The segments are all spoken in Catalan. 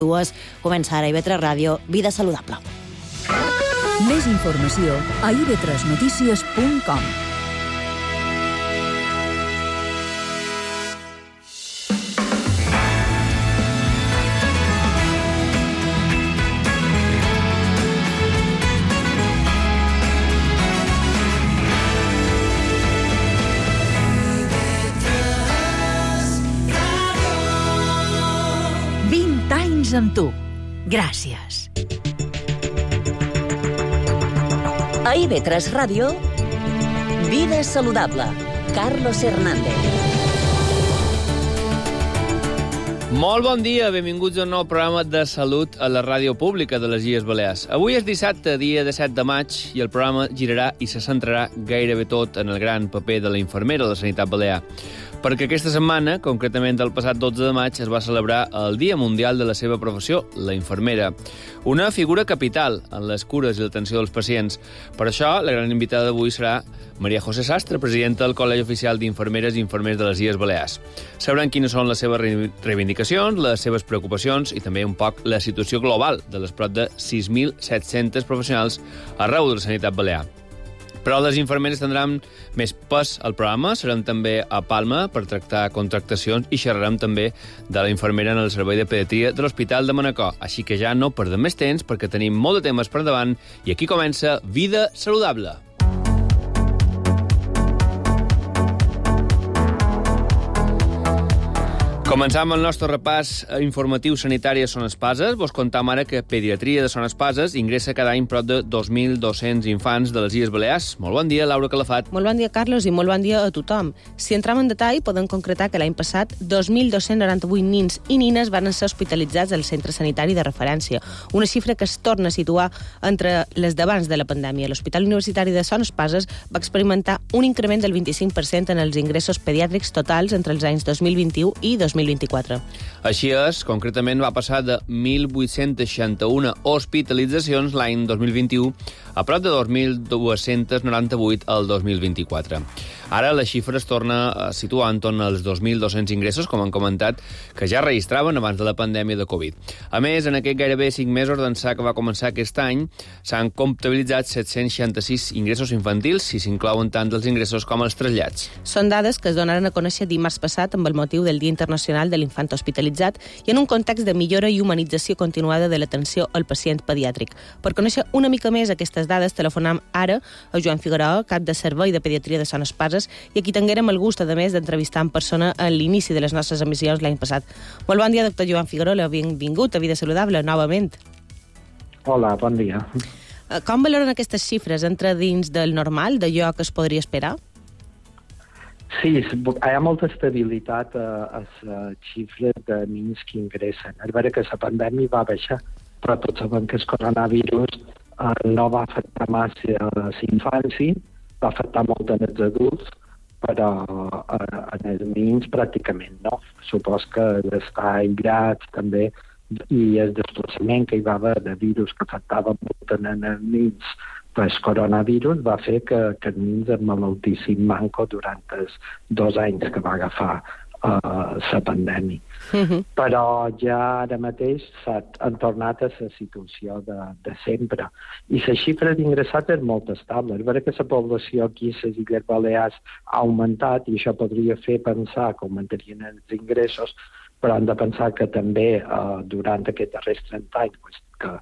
Comença ara IB3 Ràdio, Vida Saludable. Més informació a ib3notícies.com. Amb tu. Gràcies. A IB3 Ràdio, Vida Saludable. Carlos Hernández. Molt bon dia, benvinguts a un nou programa de salut a la ràdio pública de les Illes Balears. Avui és dissabte, dia 17 de maig, i el programa girarà i se centrarà gairebé tot en el gran paper de la infermera de la sanitat balear. Perquè aquesta setmana, concretament el passat 12 de maig, es va celebrar el Dia Mundial de la seva professió, la infermera. Una figura capital en les cures i l'atenció dels pacients. Per això, la gran invitada d'avui serà Maria José Sastre, presidenta del Col·legi Oficial d'Infermeres i Infermers de les Illes Balears. Sabrem quines són les seves reivindicacions, les seves preocupacions i també un poc la situació global de les prop de 6.700 professionals arreu de la sanitat balear. Però les infermeres tindran més pes al programa. Serem també a Palma per tractar contractacions i xerrarem també de la infermera en el servei de pediatria de l'Hospital de Manacor. Així que ja no perdem més temps perquè tenim molt de temes per davant i aquí comença Vida Saludable. Començam el nostre repàs informatiu sanitari a Son Espases. Vos contam ara que Pediatria de Son Espases ingressa cada any prop de 2.200 infants de les Illes Balears. Molt bon dia, Laura Calafat. Molt bon dia, Carlos, i molt bon dia a tothom. Si entrem en detall, podem concretar que l'any passat 2.298 nins i nines van ser hospitalitzats al centre sanitari de referència, una xifra que es torna a situar entre les d'abans de la pandèmia. L'Hospital Universitari de Son Espases va experimentar un increment del 25% en els ingressos pediàtrics totals entre els anys 2021 i 2024. Així és, concretament va passar de 1.861 hospitalitzacions l'any 2021 a prop de 2.298 el 2024. Ara la xifra es torna a situar entorn als 2.200 ingressos, com han comentat, que ja registraven abans de la pandèmia de Covid. A més, en aquest gairebé 5 mesos d'ençà que va començar aquest any, s'han comptabilitzat 766 ingressos infantils, si s'inclouen tant els ingressos com els trasllats. Són dades que es donaren a conèixer dimarts passat amb el motiu del Dia Internacional de l'Infant Hospitalitzat i en un context de millora i humanització continuada de l'atenció al pacient pediàtric. Per conèixer una mica més aquestes dades, telefonam ara a Joan Figueroa, cap de Servei de Pediatria de Son Espases, i aquí tinguérem el gust, a més, d'entrevistar en persona a l'inici de les nostres emissions l'any passat. Molt bon dia, doctor Joan Figueroa, benvingut a Vida Saludable, novament. Hola, bon dia. Com valoren aquestes xifres? Entra dins del normal, d'allò que es podria esperar? Sí, hi ha molta estabilitat a les xifres de nins que ingressen. És vera que la pandèmia va baixar, però tots sabem que el coronavirus no va afectar massa a la infància, va afectar molt en els adults, però en els nins pràcticament no. Supos que l'estar aïllats també i el desplaçament que hi va haver de virus que afectava molt en els nins pel coronavirus va fer que els nins es malaltissin manco durant els 2 anys que va agafar la pandèmia. Però ja ara mateix han tornat a la situació de sempre. I la xifra d'ingressats és molt estable. És vera que la població aquí a les Illes Balears ha augmentat i això podria fer pensar que augmentarien els ingressos, però hem de pensar que també durant aquests darrers 30 anys que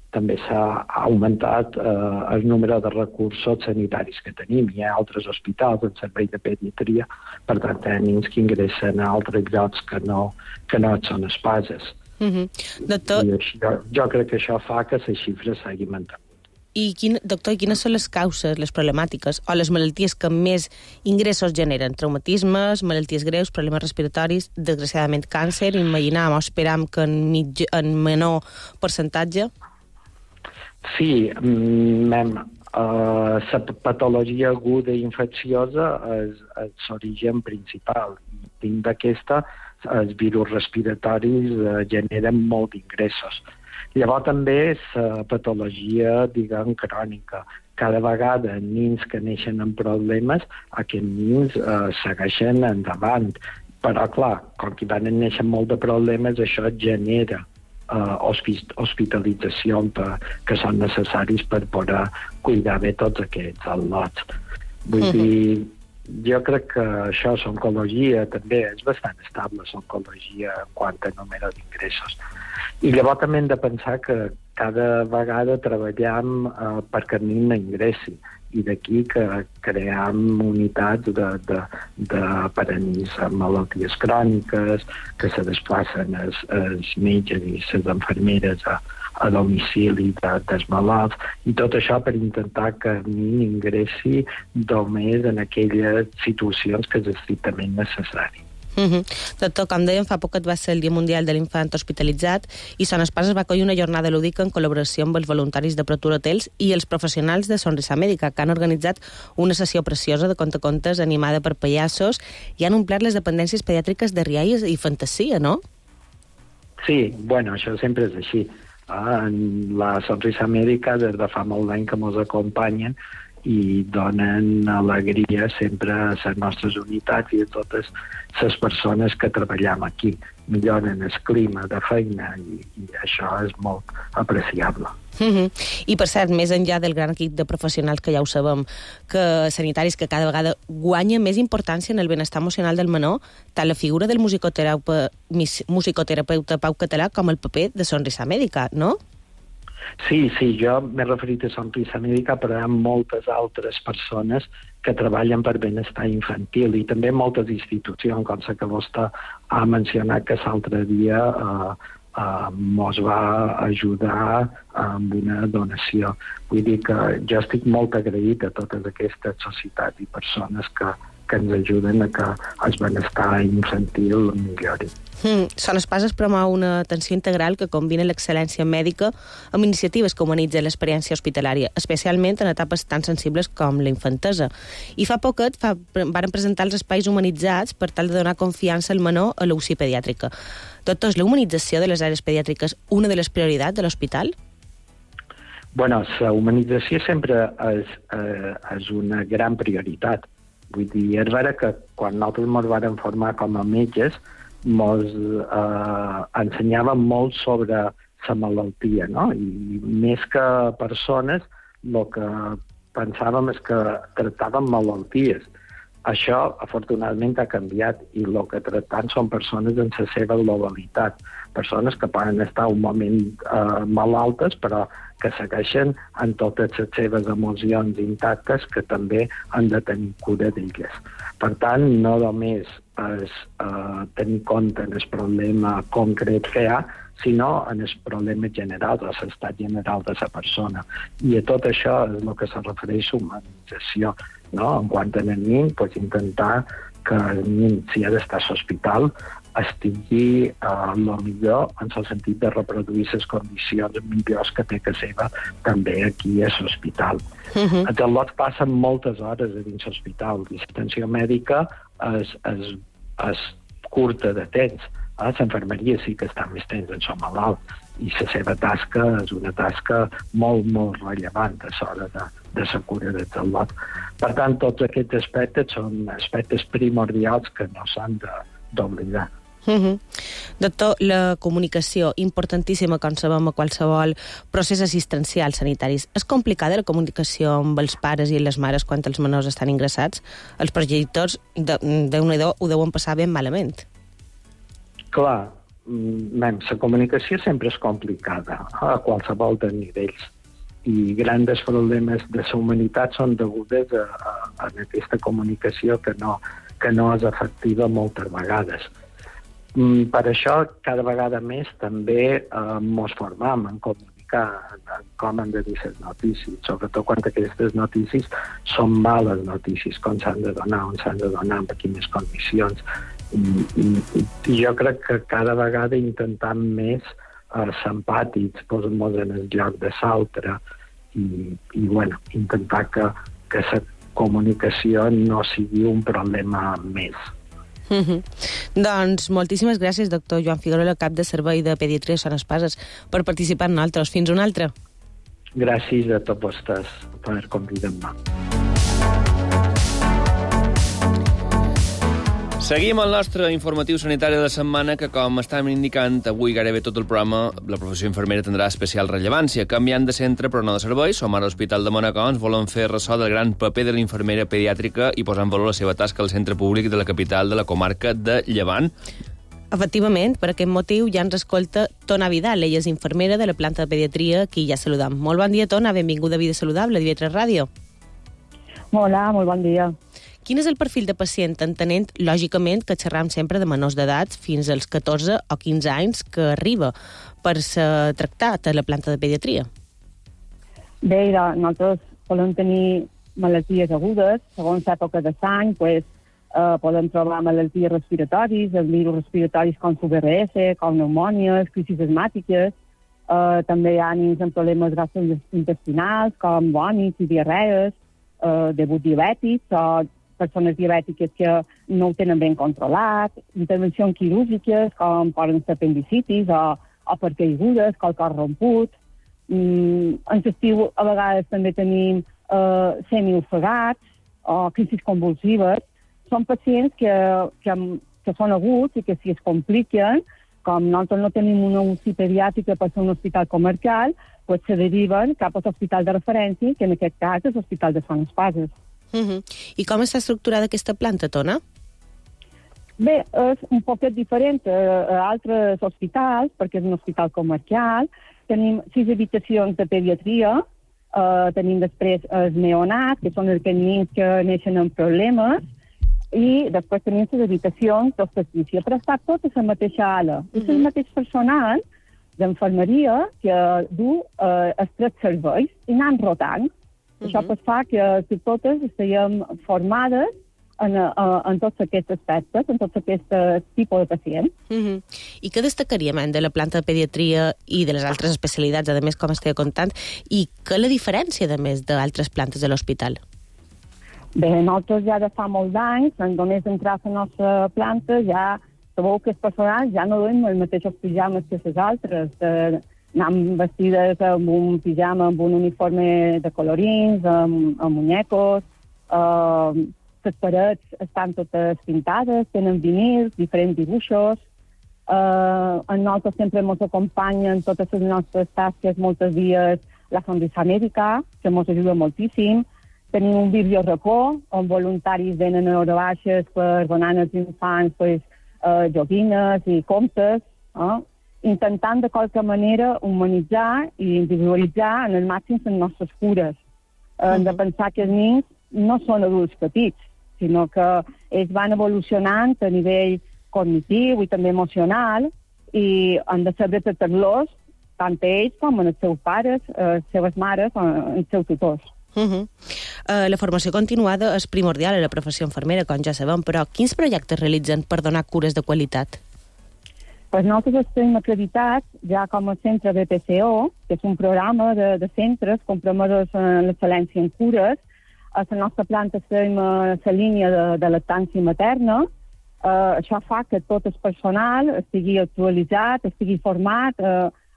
també s'ha augmentat el número de recursos sanitaris que tenim. Hi ha altres hospitals en servei de pediatria, per tant, nens que ingressen a altres llocs que no són espases. Doctor... I jo crec que això fa que la xifra s'hagi mantingut. I, doctor, quines són les causes, les problemàtiques o les malalties que més ingressos generen? Traumatismes, malalties greus, problemes respiratoris, desgraciadament càncer, imaginam o esperam que en menor percentatge? Sí, la patologia aguda i infecciosa és l'origen principal. Dins d'aquesta, els virus respiratoris generen molt d'ingressos. Llavors també la patologia, diguem, crònica. Cada vegada nens que neixen amb problemes, aquests nens segueixen endavant. Però, clar, com que van néixer molt de problemes, això genera hospitalització que són necessaris per poder cuidar bé tots aquests al·lots. Vull dir, jo crec que això, l'oncologia, també és bastant estable, l'oncologia en quant a número d'ingressos. I llavors també hem de pensar que cada vegada treballem perquè el nen no ingressi, i d'aquí que creem unitats per a nens amb malalties cròniques, que se desplacen els metges i les infermeres a domicili dels malalts, i tot això per intentar que el nen ingressi només en aquelles situacions que és estrictament necessari. Doctor, com dèiem, fa poc va ser el Dia Mundial de l'Infant Hospitalitzat i Son Espases va acollir una jornada lúdica en col·laboració amb els voluntaris de Procura Hotels i els professionals de Sonrisa Mèdica, que han organitzat una sessió preciosa de contacontes animada per pallassos i han omplert les dependències pediàtriques de rialles i fantasia, no? Sí, bueno, això sempre és així. La Sonrisa Mèdica des de fa molt d'any que ens acompanyen i donen alegria sempre a les nostres unitats i a totes les persones que treballem aquí. Milloren el clima de feina i això és molt apreciable. I, per cert, més enllà del gran equip de professionals que ja ho sabem, que sanitaris que cada vegada guanya més importància en el benestar emocional del menor, tant la figura del musicoterapeuta Pau Català com el paper de Sonrisa Mèdica, no? Sí, jo m'he referit a Sonrisa Mèdica, però hi ha moltes altres persones que treballen per benestar infantil i també moltes institucions, com la que vostè ha mencionat que l'altre dia ens va ajudar amb una donació. Vull dir que jo estic molt agraït a totes aquestes societats i persones que ens ajuden a que el benestar infantil millori. Son Espases promou una atenció integral que combina l'excel·lència mèdica amb iniciatives que humanitzen l'experiència hospitalària, especialment en etapes tan sensibles com la infantesa. I fa poquet varen presentar els espais humanitzats per tal de donar confiança al menor a l'UCI pediàtrica. Doctor, és la humanització de les àrees pediàtriques una de les prioritats de l'hospital? Bueno, la humanització sempre és una gran prioritat. Vull dir, és vera que quan nosaltres ens vam formar com a metges ens ensenyaven molt sobre la malaltia, no? I més que persones, el que pensàvem és que tractàvem malalties. Això, afortunadament, ha canviat i el que tractem són persones en la seva globalitat. Persones que poden estar un moment malaltes, però que segueixen amb totes les seves emocions intactes que també han de tenir cura d'elles. Per tant, no només és tenir compte en el problema concret que hi ha, sinó en el problema general, en l'estat general de la persona. I a tot això és el que se refereix a humanització. No? En quant a nen, intentar que el nen, si ha d'estar a l'hospital, estigui el millor en el sentit de reproduir les condicions millors que té que seva també aquí a l'hospital. Els al·lots passen moltes hores a dins l'hospital i l'atenció mèdica és curta de temps. L'infermeria sí que està més temps en el malalt i la seva tasca és una tasca molt, molt rellevant a l'hora de la cura dels al·lots. Per tant, tots aquests aspectes són aspectes primordials que no s'han d'oblidar. Doctor, la comunicació, importantíssima, com sabem, a qualsevol procés assistencial sanitaris. És complicada la comunicació amb els pares i les mares quan els menors estan ingressats? Els progenitors, Déu-n'hi-do, ho deuen passar ben malament. Clar, la comunicació sempre és complicada a qualsevol de nivells i grans problemes de la humanitat són degudes a aquesta comunicació que no és efectiva moltes vegades. Per això, cada vegada més també ens formam en comunicar en com han de dir les notícies, sobretot quan aquestes notícies són males notícies, com s'han de donar, on s'han de donar, en quines condicions. I jo crec que cada vegada intentem més ser empàtics, posar-nos en el lloc de l'altre i intentar que la comunicació no sigui un problema més. Doncs moltíssimes gràcies, doctor Joan Figuerola, cap de Servei de Pediatria de Son Espases, per participar en nosaltres. Fins una altra. Gràcies a tots vostès per convidar-me. Seguim el nostre informatiu sanitari de la setmana que, com estàvem indicant, avui gairebé tot el programa la professió infermera tindrà especial rellevància. Canviant de centre però no de servei, som ara a l'Hospital de Manacor, ens volen fer ressò del gran paper de l'infermera pediàtrica i posar en valor la seva tasca al centre públic de la capital de la comarca de Llevant. Efectivament, per aquest motiu ja ens escolta Tona Vidal, ella és infermera de la planta de pediatria, qui ja saludam. Molt bon dia, Tona, benvinguda a Vida Saludable, de IB3 Ràdio. Hola, molt bon dia. Quin és el perfil de pacient, entenent, lògicament, que xerram sempre de menors d'edat fins als 14 o 15 anys que arriba per ser tractat a la planta de pediatria? Bé, nosaltres podem tenir malalties agudes, segons l'època de l'any, podem trobar malalties respiratòries, els virus respiratoris com l'UVRS, com pneumònies, crisis asmàtiques, també hi ha nens amb problemes gastrointestinals, com vòmits i diarrees, debut diabètics o persones diabètiques que no ho tenen ben controlat, intervencions quirúrgiques com poden ser apendicitis o per caigudes, el cor romput. En l'estiu a vegades també tenim semiofegats o crisis convulsives. Són pacients que són aguts i que si es compliquen, com nosaltres no tenim una UCI pediàtrica per ser un hospital comarcal, se deriven cap a l'hospital de referència, que en aquest cas és l'Hospital de Sant Espases. I com està estructurada aquesta planta, Tona? Bé, és un poquet diferent a altres hospitals, perquè és un hospital comarcal. Tenim 6 habitacions de pediatria, tenim després els neonats, que són els nens que neixen amb problemes, i després tenim les habitacions d'obstetrícia, però està tot a la mateixa ala. És el mateix personal d'enfermeria que du els 3 serveis i anem rotant. Això fa que totes estiguem formades en tots aquests aspectes, en tots aquests tipus de pacients. I què destacaríem de la planta de pediatria i de les altres especialitats, a més, com estava contant, i què la diferència, a més, d'altres plantes de l'hospital? Bé, nosaltres ja de fa molts anys, només entrar a la nostra planta, ja sabeu que els personals ja no duem els mateixos pijames que les altres. Anem vestides amb un pijama, amb un uniforme de colorins, amb muñecos. Les parets estan totes pintades, tenen vinils, diferents dibuixos. A nosaltres sempre ens acompanyen totes les nostres tasques, molts dies la Sonrisa Mèdica, que ens ajuda moltíssim. Tenim un biblioracó, on voluntaris venen a hores baixes per donar als infants joguines i comptes, intentant de qualque manera humanitzar i individualitzar en el màxim les nostres cures. Hem de pensar que els nens no són adults petits, sinó que ells van evolucionant a nivell cognitiu i també emocional i han de saber tractar-los tant ells com els seus pares, les seves mares o els seus tutors. La formació continuada és primordial a la professió infermera, com ja sabem, però quins projectes realitzen per donar cures de qualitat? Nosaltres estem acreditats ja com a centre BPCO, que és un programa de centres compromesos en l'excel·lència en cures. A la nostra planta estem a la línia de lactància materna. Això fa que tot el personal estigui actualitzat, estigui format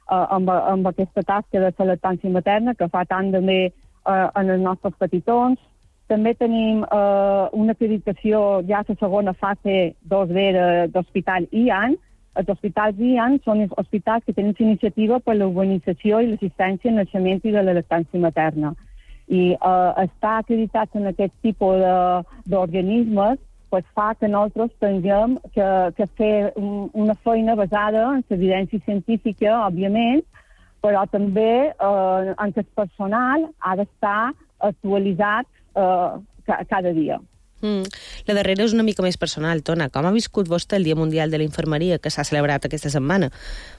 amb aquesta tasca de la lactància materna que fa tant també en els nostres petitons. També tenim una acreditació ja a la segona fase 2B d'Hospital IAN. Els hospitals IAN són els hospitals que tenen iniciativa per la urbanització i l'assistència al naixement i de la lactància materna. I estar acreditats en aquest tipus d'organismes fa que nosaltres tinguem que fer una feina basada en l'evidència científica, òbviament, però també en el personal ha d'estar actualitzat cada dia. La darrera és una mica més personal, Tona. Com ha viscut vostè el Dia Mundial de la Infermeria que s'ha celebrat aquesta setmana?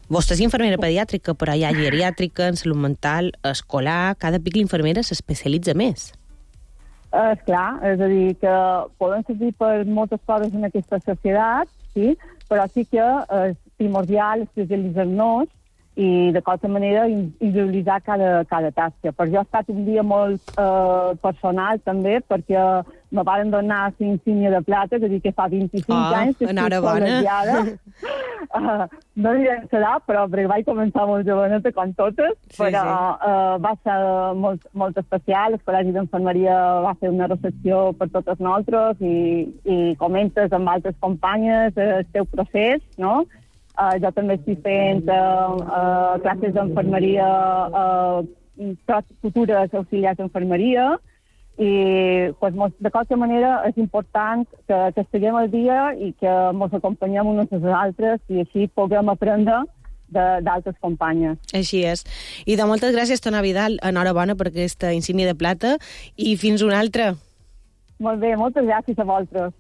Vostè és infermera pediàtrica, però hi ha geriàtrica, en salut mental, escolar. Cada pic l'infermera s'especialitza més. Esclar, és a dir, que poden servir per moltes coses en aquesta societat, sí? Però sí que és primordial especialitzar-nos i de qualsevol manera individualitzar cada tasca. Per jo ha estat un dia molt personal també, perquè me van donar la insígnia de plata, és a dir, que fa 25 anys que estic col·legiada. No diré que serà, però perquè vaig començar molt joveneta, com totes, però va ser molt especial. El Col·legi d'Infermeria va fer una recepció per totes nosaltres i comentes amb altres companyes el teu procés, no? Jo també estic fent classes d'enfermeria, futures auxiliars d'enfermeria, i pues, de qualsevol manera és important que estiguem al dia i que ens acompanyem unes a les altres i així puguem aprendre d'altres companyes. Així és. I de moltes gràcies, Tona Vidal. Enhorabona per aquesta insígnia de plata i fins una altra. Molt bé, moltes gràcies a vosaltres.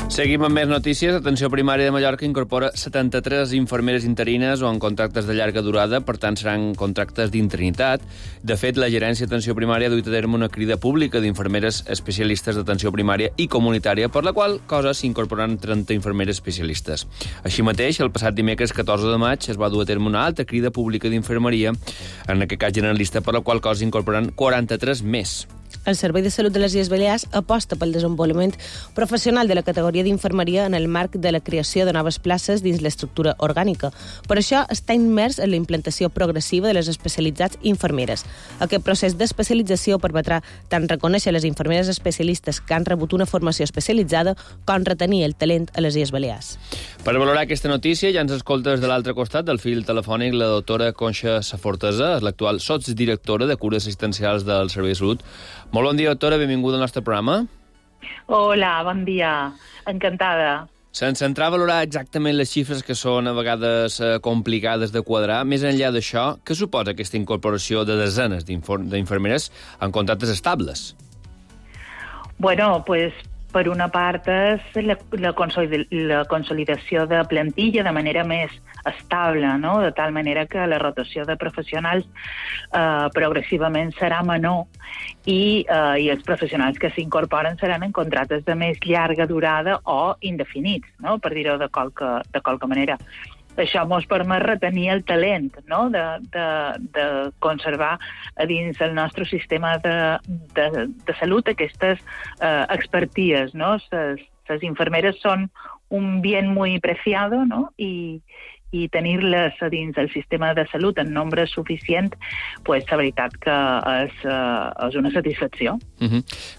Seguim amb més notícies. Atenció Primària de Mallorca incorpora 73 infermeres interines o en contractes de llarga durada, per tant seran contractes d'interinitat. De fet, la Gerència d'Atenció Primària ha duit a terme una crida pública d'infermeres especialistes d'atenció primària i comunitària, per la qual cosa s'incorporaran 30 infermeres especialistes. Així mateix, el passat dimecres 14 de maig es va dur a terme una altra crida pública d'infermeria, en aquest cas generalista, per la qual cosa s'incorporaran 43 més. El Servei de Salut de les Illes Balears aposta pel desenvolupament professional de la categoria d'infermeria en el marc de la creació de noves places dins l'estructura orgànica. Per això està immers en la implantació progressiva de les especialitats infermeres. Aquest procés d'especialització permetrà tant reconèixer les infermeres especialistes que han rebut una formació especialitzada com retenir el talent a les Illes Balears. Per valorar aquesta notícia ja ens escolta des de l'altre costat del fil telefònic la doctora Conxa Safortesa, l'actual sotsdirectora de cures assistencials del Servei de Salut. Molt bon dia, doctora, benvinguda al nostre programa. Hola, bon dia, encantada. Sense entrar a valorar exactament les xifres que són a vegades complicades de quadrar, més enllà d'això, què suposa aquesta incorporació de desenes d'infermeres en contractes estables? Bueno, pues per una part és la consolidació de plantilla de manera més estable, no? De tal manera que la rotació de professionals progressivament serà menor i els professionals que s'incorporen seran en contractes de més llarga durada o indefinits, no? Per dir-ho de qualque manera. Això ens permet retenir el talent, no? de conservar a dins el nostre sistema de salut aquestes experties, no? Les infermeres són un bien muy preciado, no? I tenir-les dins el sistema de salut en nombre suficient, pues, la veritat que és una satisfacció.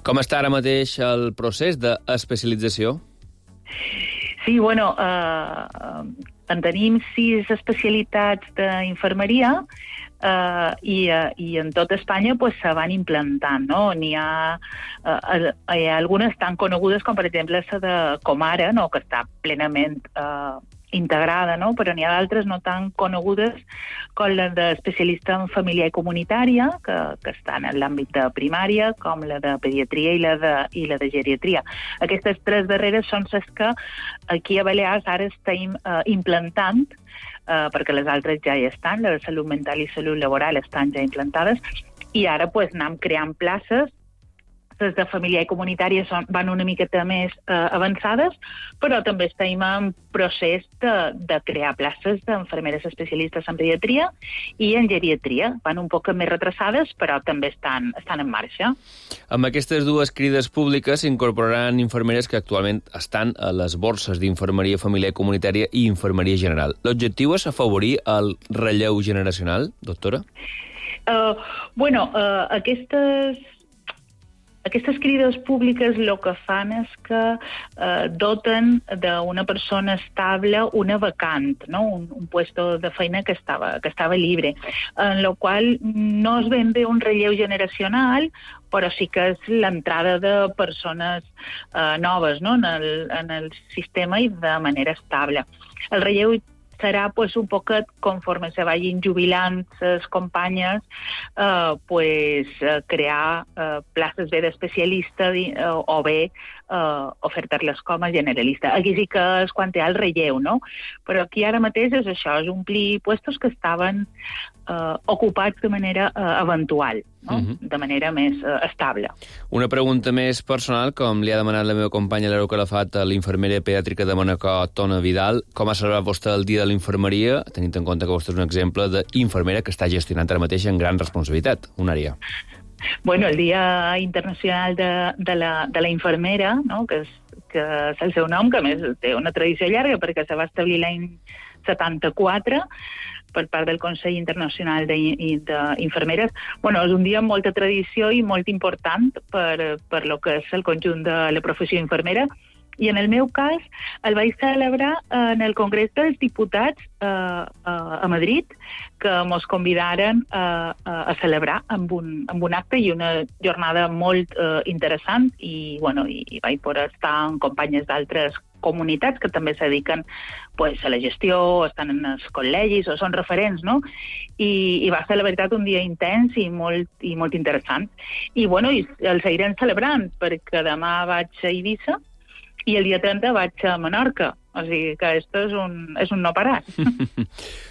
Com està ara mateix el procés d'especialització? Sí, bueno, en tenim 6 especialitats d'infermeria i en tot Espanya pues, se van implantant, no? Hi ha algunes tan conegudes com, per exemple, la de Comara, no? Que està plenament integrada, no? Però n'hi ha d'altres no tan conegudes com la d'especialista en família i comunitària, que estan en l'àmbit de primària, com la de pediatria i la de geriatria. Aquestes 3 darreres són les que aquí a Balears ara estem implantant, perquè les altres ja hi estan, la de salut mental i salut laboral estan ja implantades, i ara pues, anem creant places. Les de família i comunitària van una miqueta més avançades, però també estem en procés de crear places d'infermeres especialistes en pediatria i en geriatria. Van un poc més retrasades, però també estan en marxa. Amb aquestes 2 crides públiques s'incorporaran infermeres que actualment estan a les borses d'infermeria familiar i comunitària i infermeria general. L'objectiu és afavorir el relleu generacional, doctora? Aquestes crides públiques el que fan és que doten d'una persona estable una vacant, no? un puesto de feina que estava lliure, en el qual no és ben bé un relleu generacional, però sí que és l'entrada de persones noves, no? en el sistema i de manera estable. El relleu serà pues, un poquet conforme se vagin jubilant les companyes, crear places bé d'especialista o bé ofertar-les com a generalista. Aquí sí que és quan hi ha el relleu, no? Però aquí ara mateix és això, és omplir puestos que estaven ocupats de manera eventual, no? De manera més estable. Una pregunta més personal, com li ha demanat la meva companya Laura Calafat a l'infermera pediàtrica de Manacor, Tona Vidal. Com ha celebrat vostè el dia de l'infermeria, tenint en compte que vostè és un exemple d'infermera que està gestionant ara mateix en gran responsabilitat, una àrea? Bueno, el Dia Internacional de la Infermera, no? que és el seu nom, que a més té una tradició llarga perquè se va establir l'any 74 per part del Consell Internacional d'Infermeres. Bueno, és un dia amb molta tradició i molt important per lo que és el conjunt de la professió infermera. I en el meu cas el vaig celebrar en el Congrés dels Diputats a Madrid, que mos convidaren a celebrar amb un acte i una jornada molt interessant i vaig poder estar amb companyes d'altres comunitats que també se dediquen a la gestió, estan en els col·legis o són referents, no? I va ser, la veritat, un dia intens i molt interessant. I el seguirem celebrant, perquè demà vaig a Eivissa i el dia 30 vaig a Menorca. O sigui que esto és un no parar.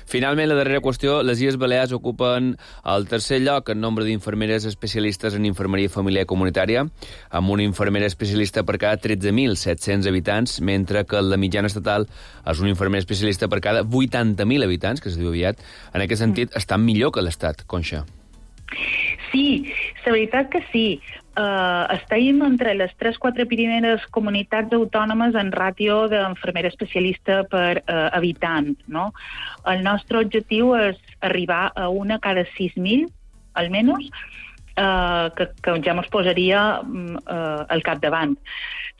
Finalment, la darrera qüestió, les Illes Balears ocupen el tercer lloc en nombre d'infermeres especialistes en infermeria familiar i comunitària, amb una infermera especialista per cada 13.700 habitants, mentre que la mitjana estatal és un infermer especialista per cada 80.000 habitants, que es diu aviat. En aquest sentit, estan millor que l'Estat, Conxa. Sí, la veritat que sí. Estem entre les 3-4 primeres comunitats autònomes en ràtio d'infermera especialista per habitant, no? El nostre objectiu és arribar a una cada 6.000, almenys, que ja ens posaria al capdavant.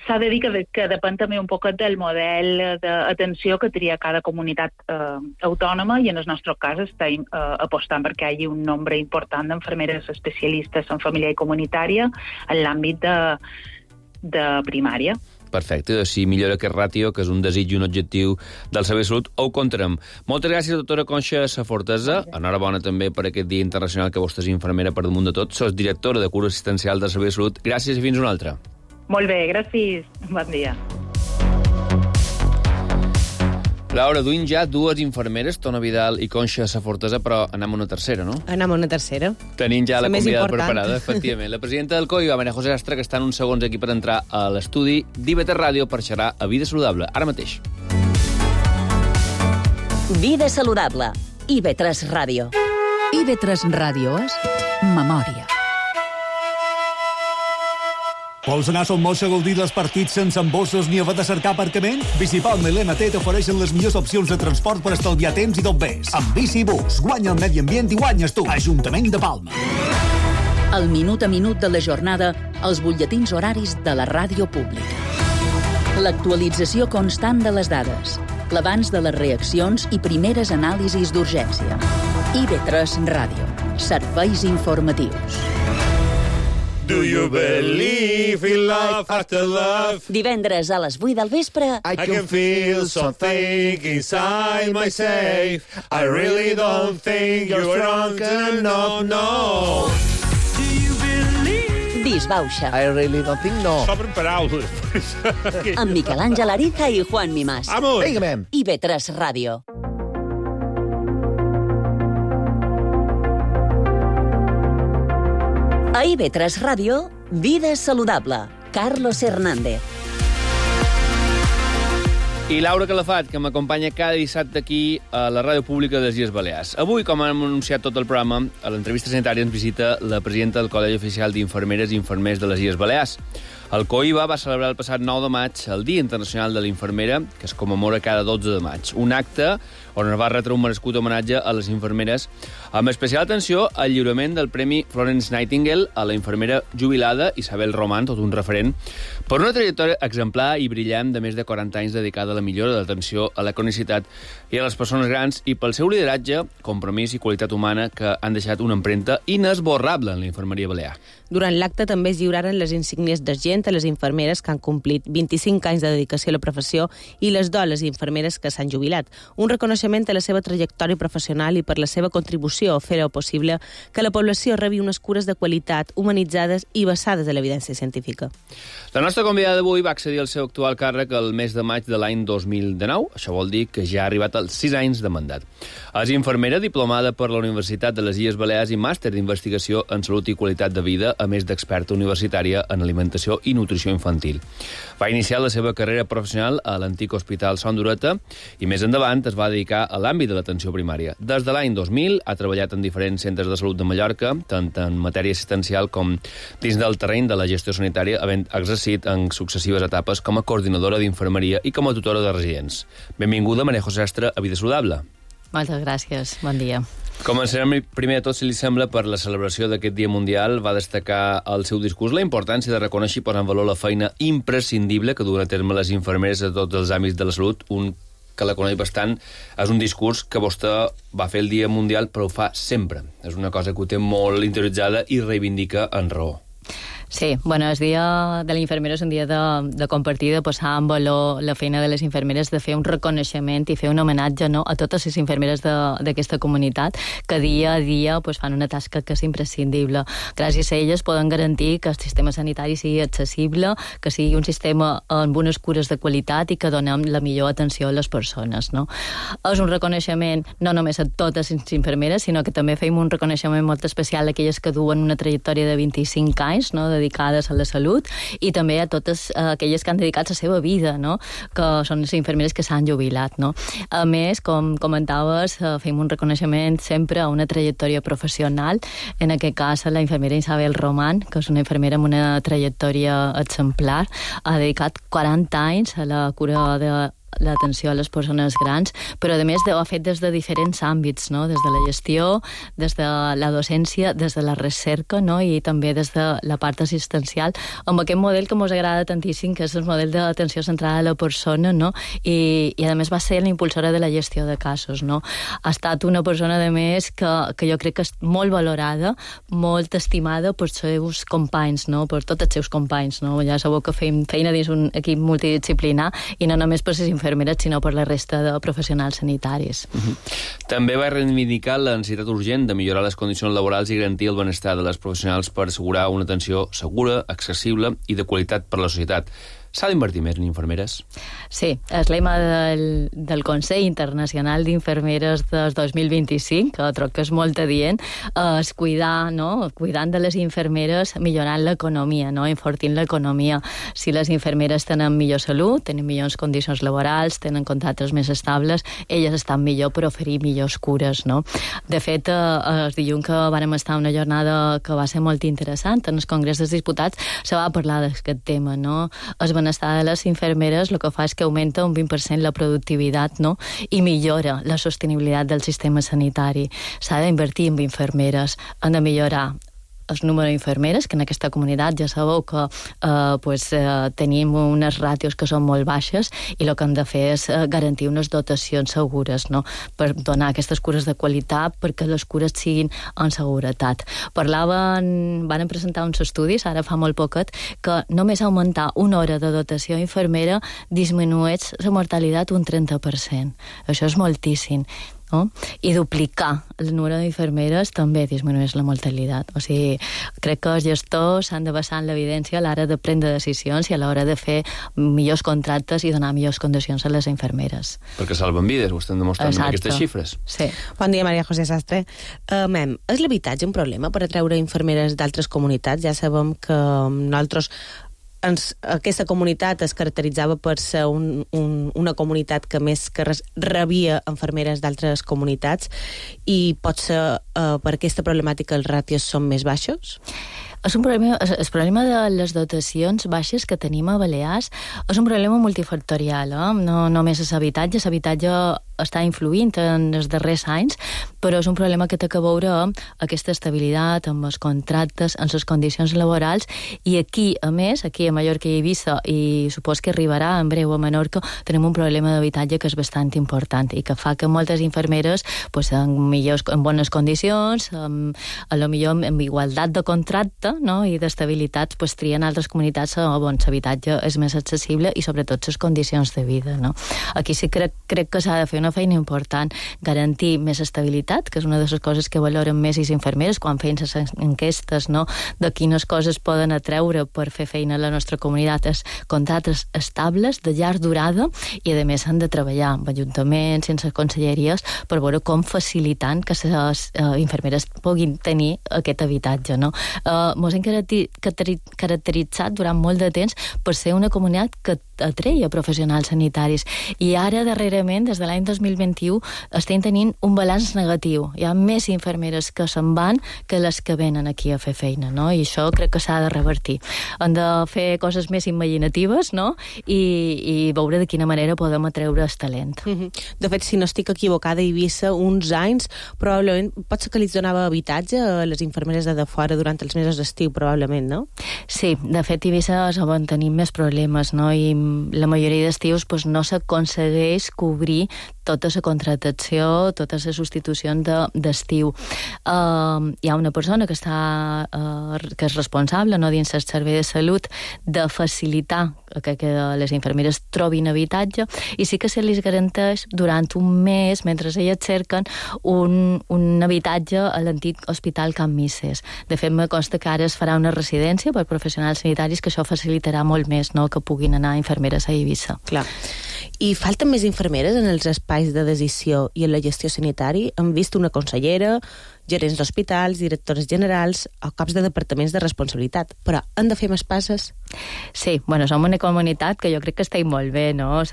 S'ha de dir que depèn també un poc del model d'atenció que tria cada comunitat autònoma i en el nostre cas estem apostant perquè hi hagi un nombre important d'infermeres especialistes en família i comunitària en l'àmbit de primària. Perfecte, si millora aquest ràtio, que és un desig i un objectiu del Servei de Salut, ho contarem. Moltes gràcies, doctora Conxa Safortesa. Enhorabona també per aquest Dia Internacional que vostè és infermera per damunt de tot. Sos directora de cura assistencial del Servei de Salut. Gràcies i fins una altra. Molt bé, gràcies. Bon dia. Laura, duim ja dues infermeres, Tona Vidal i Conxa Safortesa, però anem a una tercera, no? Anem a una tercera. Tenim ja la convidada preparada, efectivament. La presidenta del COI, Maria José Astre, que està en uns segons aquí per entrar a l'estudi d'IV3 Ràdio per xerrar a Vida Saludable, ara mateix. Vida Saludable, IV3 Ràdio. IV3 Ràdio és memòria. Vols anar a Son Moix a gaudir dels partits sense embossos ni haver de cercar aparcament? Bicipalma i l'MT t'ofereixen les millors opcions de transport per estalviar temps i tot més. Amb Bicibús, guanya el medi ambient i guanyes tu. Ajuntament de Palma. El minut a minut de la jornada, els butlletins horaris de la ràdio pública. L'actualització constant de les dades, l'abans de les reaccions i primeres anàlisis d'urgència. IV3 Ràdio. Serveis informatius. Do you believe in love after love? Divendres a les 8 del vespre. I can feel something inside myself. I really don't think you're drunk enough, no. Do you believe? Disbauxa. I really don't think no. S'obren paraules. Amb Miquel Àngel Ariza i Juan Mimás. Vamos. Vinga, IV3 Ràdio. A IV3 Ràdio, Vida Saludable. Carlos Hernández. I Laura Calafat, que m'acompanya cada dissabte aquí a la ràdio pública de les Illes Balears. Avui, com hem anunciat tot el programa, a l'entrevista sanitària ens visita la presidenta del Col·legi Oficial d'Infermeres i Infermers de les Illes Balears. El COIBA va celebrar el passat 9 de maig el Dia Internacional de la Infermera, que es commemora cada 12 de maig. Un acte on es va retre un merescut homenatge a les infermeres, amb especial atenció al lliurament del Premi Florence Nightingale a la infermera jubilada Isabel Román, tot un referent, per una trajectòria exemplar i brillant de més de 40 anys dedicada a la millora de l'atenció a la cronicitat i a les persones grans i pel seu lideratge, compromís i qualitat humana que han deixat una empremta inesborrable en la infermeria balear. Durant l'acte també es lliuraren les insígnies d'argent reconeixement a les infermeres que han complit 25 anys de dedicació a la professió i les dones infermeres que s'han jubilat. Un reconeixement a la seva trajectòria professional i per la seva contribució a fer-ho possible que la població rebi unes cures de qualitat, humanitzades i basades en l'evidència científica. La nostra convidada d'avui va accedir al seu actual càrrec el mes de maig de l'any 2019. Això vol dir que ja ha arribat als 6 anys de mandat. És infermera diplomada per la Universitat de les Illes Balears i màster d'investigació en salut i qualitat de vida, a més d'experta universitària en alimentació i nutrició infantil. Va iniciar la seva carrera professional a l'antic Hospital Son d'Ureta i més endavant es va dedicar a l'àmbit de l'atenció primària. Des de l'any 2000 ha treballat en diferents centres de salut de Mallorca, tant en matèria assistencial com dins del terreny de la gestió sanitària, havent exercit en successives etapes com a coordinadora d'infermeria i com a tutora de residents. Benvinguda, Maria José Astre, a Vida Saludable. Moltes gràcies, bon dia. Començarem primer de tot, si li sembla, per la celebració d'aquest Dia Mundial. Va destacar al seu discurs la importància de reconèixer i posar en valor la feina imprescindible que duen a terme les infermeres a tots els àmbits de la salut. Un que la coneix bastant, és un discurs que vostè va fer el Dia Mundial, però ho fa sempre. És una cosa que ho té molt interioritzada i reivindica en raó. Sí, bueno, el dia de l'infermera és un dia de compartir, de posar en valor la feina de les infermeres, de fer un reconeixement i fer un homenatge, no, a totes les infermeres d'aquesta comunitat que dia a dia pues, fan una tasca que és imprescindible. Gràcies a elles poden garantir que el sistema sanitari sigui accessible, que sigui un sistema amb unes cures de qualitat i que donem la millor atenció a les persones. No? És un reconeixement no només a totes les infermeres, sinó que també fem un reconeixement molt especial a aquelles que duen una trajectòria de 25 anys, no, dedicades a la salut, i també a totes aquelles que han dedicat la seva vida, no? Que són les infermeres que s'han jubilat. No? A més, com comentaves, fem un reconeixement sempre a una trajectòria professional, en aquest cas a la infermera Isabel Román, que és una infermera amb una trajectòria exemplar, ha dedicat 40 anys a la cura de l'atenció a les persones grans, però a més ho ha fet des de diferents àmbits, no? Des de la gestió, des de la docència, des de la recerca, no? I també des de la part assistencial, amb aquest model que ens agrada tantíssim, que és el model d'atenció centrada a la persona, no? I a més va ser la impulsora de la gestió de casos, no? Ha estat una persona, a més, que jo crec que és molt valorada, molt estimada pels seus companys, no? Per tots els seus companys, no? Ja sabeu que fem feina dins un equip multidisciplinar i no només per les infermeres, sinó per la resta de professionals sanitaris. També va reivindicar la necessitat urgent de millorar les condicions laborals i garantir el benestar de les professionals per assegurar una atenció segura, accessible i de qualitat per a la societat. S'ha d'invertir més en infermeres? Sí, el lema del Consell Internacional d'Infermeres del 2025, que troc que és molt adient, és cuidar, no? Cuidant de les infermeres, millorant l'economia, no? Enfortint l'economia. Si les infermeres tenen millor salut, tenen millors condicions laborals, tenen contractes més estables, elles estan millor per oferir millors cures, no? De fet, el dilluns que vam estar una jornada que va ser molt interessant, en el Congrés dels Diputats se va parlar d'aquest tema, no? El benestar de les infermeres el que fa és que augmenta un 20% la productivitat, no? I millora la sostenibilitat del sistema sanitari. S'ha d'invertir en infermeres, han de millorar el número d'infermeres, que en aquesta comunitat ja sabeu que tenim unes ràtios que són molt baixes i el que hem de fer és garantir unes dotacions segures, no? Per donar aquestes cures de qualitat, perquè les cures siguin en seguretat. Van presentar uns estudis, ara fa molt poquet, que només augmentar una hora de dotació infermera disminueix la mortalitat un 30%. Això és moltíssim. No? I duplicar el número d'infermeres també disminueix la mortalitat. O sigui, crec que els gestors s'han de basar en l'evidència a l'hora de prendre decisions i a l'hora de fer millors contractes i donar millors condicions a les infermeres. Perquè salven vides, ho estem demostrant amb aquestes xifres. Sí. Bon dia, Maria José Sastre. És l'habitatge un problema per atraure infermeres d'altres comunitats? Ja sabem que nosaltres aquesta comunitat es caracteritzava per ser una comunitat que més que res rebia infermeres d'altres comunitats i pot ser per aquesta problemàtica els ràtios són més baixos? El problema de les dotacions baixes que tenim a Balears és un problema multifactorial, no només és habitatge. L'habitatge està influint en els darrers anys, però és un problema que té que veure amb aquesta estabilitat, amb els contractes, amb les condicions laborals, i aquí, a més, aquí a Mallorca i Eivissa, i supos que arribarà en breu a Menorca, tenim un problema d'habitatge que és bastant important i que fa que moltes infermeres, pues, en bones condicions, a lo millor amb igualtat de contracte, no?, i d'estabilitat, pues, trien altres comunitats on l'habitatge és més accessible i sobretot les condicions de vida, no? Aquí sí crec que s'ha de fer una feina important, garantir més estabilitat, que és una de les coses que valoren més les infermeres quan feien les enquestes, no?, de quines coses poden atreure per fer feina a la nostra comunitat, és contractes estables, de llarg durada, i a més han de treballar amb ajuntaments, sense conselleries, per veure com facilitant que les infermeres puguin tenir aquest habitatge, no? Mos hem caracteritzat durant molt de temps per ser una comunitat que atreia professionals sanitaris, i ara darrerament, des de l'any 2021, estem tenint un balanç negatiu. Hi ha més infermeres que se'n van que les que venen aquí a fer feina, no? I això crec que s'ha de revertir. Han de fer coses més imaginatives, no?, i veure de quina manera podem atreure el talent. De fet, si no estic equivocada, a Eivissa, uns anys, probablement, pot ser que li donava habitatge a les infermeres de fora durant els mesos d'estiu, probablement, no? Sí, de fet, a Eivissa van tenir més problemes, no?, i la majoria d'estius no s'aconsegueix cobrir tota la contractació, totes les substitucions d'estiu. Hi ha una persona que és responsable, no, dins el servei de salut, de facilitar que les infermeres trobin habitatge, i sí que se les garanteix durant un mes, mentre elles cerquen un habitatge a l'antic Hospital Can Misses. De fet, me consta que ara es farà una residència per professionals sanitaris, que això facilitarà molt més, no?, que puguin anar infermeres a Eivissa. Clar. I falten més infermeres en els espais de decisió i en la gestió sanitari? Hem vist una consellera, gerents d'hospitals, directores generals o caps de departaments de responsabilitat, però han de fer més passes? Sí, som una comunitat que jo crec que estem molt bé, no?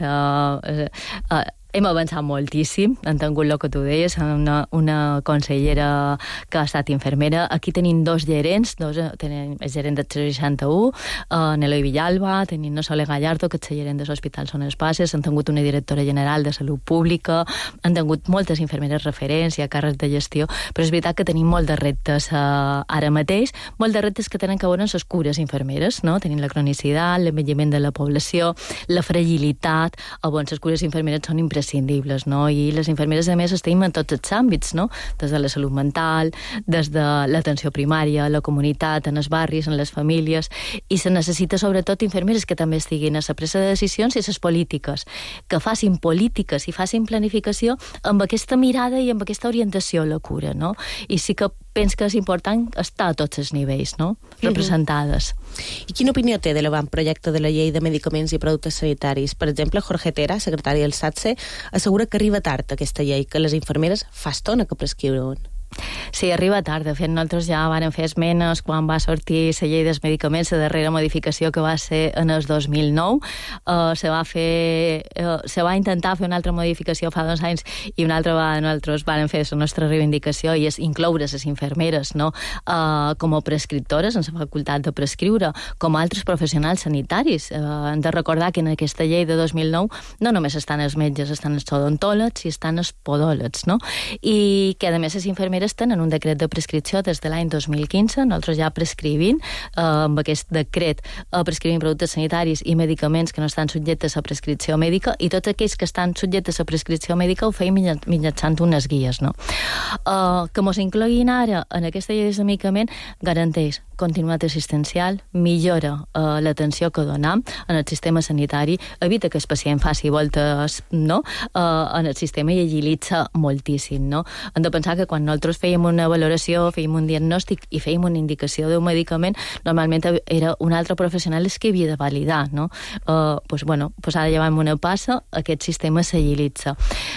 Hem avançat moltíssim, han tingut el que tu deies, una consellera que ha estat infermera. Aquí tenim dos gerents, tenim el gerent del 61, Neloi Villalba, tenim la Sole Gallardo, que és el gerent dels hospitals Son Espases, han tingut una directora general de salut pública, han tingut moltes infermeres referents i a càrrecs de gestió, però és veritat que tenim molt de reptes ara mateix, molt de reptes que tenen que veure amb les cures infermeres, no? Tenim la cronicitat, l'envelliment de la població, la fragilitat, on les cures infermeres són imprescindibles, no? I les infermeres, a més, estem en tots els àmbits, no? Des de la salut mental, des de l'atenció primària, la comunitat, en els barris, en les famílies, i se necessita sobretot infermeres que també estiguin a la presa de decisions i a les polítiques, que facin polítiques i facin planificació amb aquesta mirada i amb aquesta orientació a la cura, no? I sí que penso que és important estar a tots els nivells, no?, representades. I quina opinió té de l'avantprojecte de la llei de medicaments i productes sanitaris? Per exemple, Jorge Tera, secretari del SATSE, assegura que arriba tard aquesta llei, que les infermeres fa estona que prescriuen. Sí, arriba tard. De fet, nosaltres ja vàrem fer esmenes quan va sortir la llei dels medicaments, la darrera modificació que va ser en el 2009. Se va intentar fer una altra modificació fa 2 anys i una altra vegada nosaltres vàrem fer la nostra reivindicació, i és incloure les infermeres, no?, com a prescriptores, en la facultat de prescriure, com altres professionals sanitaris. Hem de recordar que en aquesta llei de 2009 no només estan els metges, estan els odontòlegs i estan els podòlegs, no? I que, a més, les infermeres tenen un decret de prescripció des de l'any 2015, nosaltres ja prescrivint, amb aquest decret prescrivint productes sanitaris i medicaments que no estan subjectes a prescripció mèdica, i tots aquells que estan subjectes a prescripció mèdica ho feim mitjançant unes guies, no? Que mos incloguin ara en aquesta llei de medicament garanteix continuïtat assistencial, millora l'atenció que donem en el sistema sanitari, evita que el pacient faci voltes, no?, en el sistema, i agilitza moltíssim, no? Hem de pensar que quan nosaltres fèiem una valoració, fèiem un diagnòstic i fèiem una indicació d'un medicament, normalment era un altre professional que havia de validar, no? Ara llevant una passa, aquest sistema s'agilitza.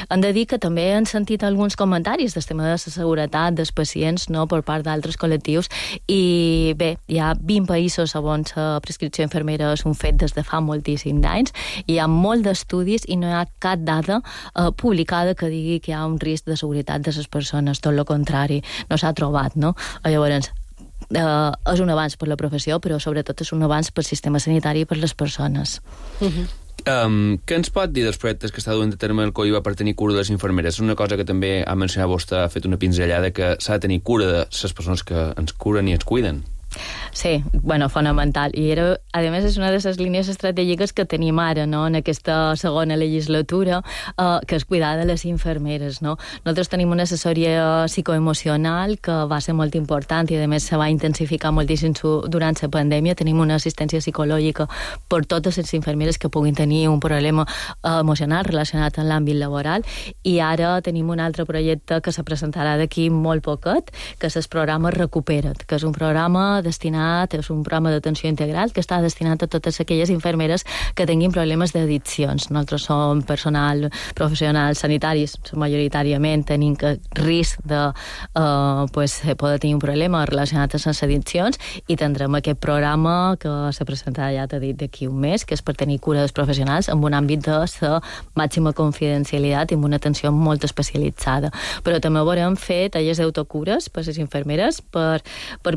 Hem de dir que també han sentit alguns comentaris del tema de la seguretat dels pacients, no?, per part d'altres col·lectius, i bé, hi ha 20 països on la prescripció infermera és un fet des de fa moltíssims anys, hi ha molt d'estudis i no hi ha cap dada publicada que digui que hi ha un risc de seguretat de les persones, tot el contrari, no s'ha trobat, no? Llavors, és un avanç per la professió, però sobretot és un avanç pel sistema sanitari i per les persones. Què ens pot dir dels projectes que està duent a terme el COIBA per tenir cura de les infermeres? És una cosa que també ha mencionat vostè, ha fet una pinzellada, que s'ha de tenir cura de les persones que ens curen i ens cuiden. Sí, bueno, fonamental. I era, a més, és una de les línies estratègiques que tenim ara, no?, en aquesta segona legislatura, que és cuidar de les infermeres, no? Nosaltres tenim una assessoria psicoemocional que va ser molt important i, a més, se va intensificar moltíssim durant la pandèmia. Tenim una assistència psicològica per totes les infermeres que puguin tenir un problema emocional relacionat amb l'àmbit laboral, i ara tenim un altre projecte que se presentarà d'aquí molt poquet, que és el programa Recupera't, que és un programa és un programa d'atenció integral que està destinat a totes aquelles infermeres que tinguin problemes d'addiccions. Nosaltres som personal professional sanitaris, majoritàriament tenim risc de poder tenir un problema relacionat amb les addiccions, i tindrem aquest programa que se presentarà, ja t'he dit, d'aquí un mes, que és per tenir cura dels professionals en un àmbit de la màxima confidencialitat i amb una atenció molt especialitzada. Però també haurem fet tallers d'autocures per les infermeres per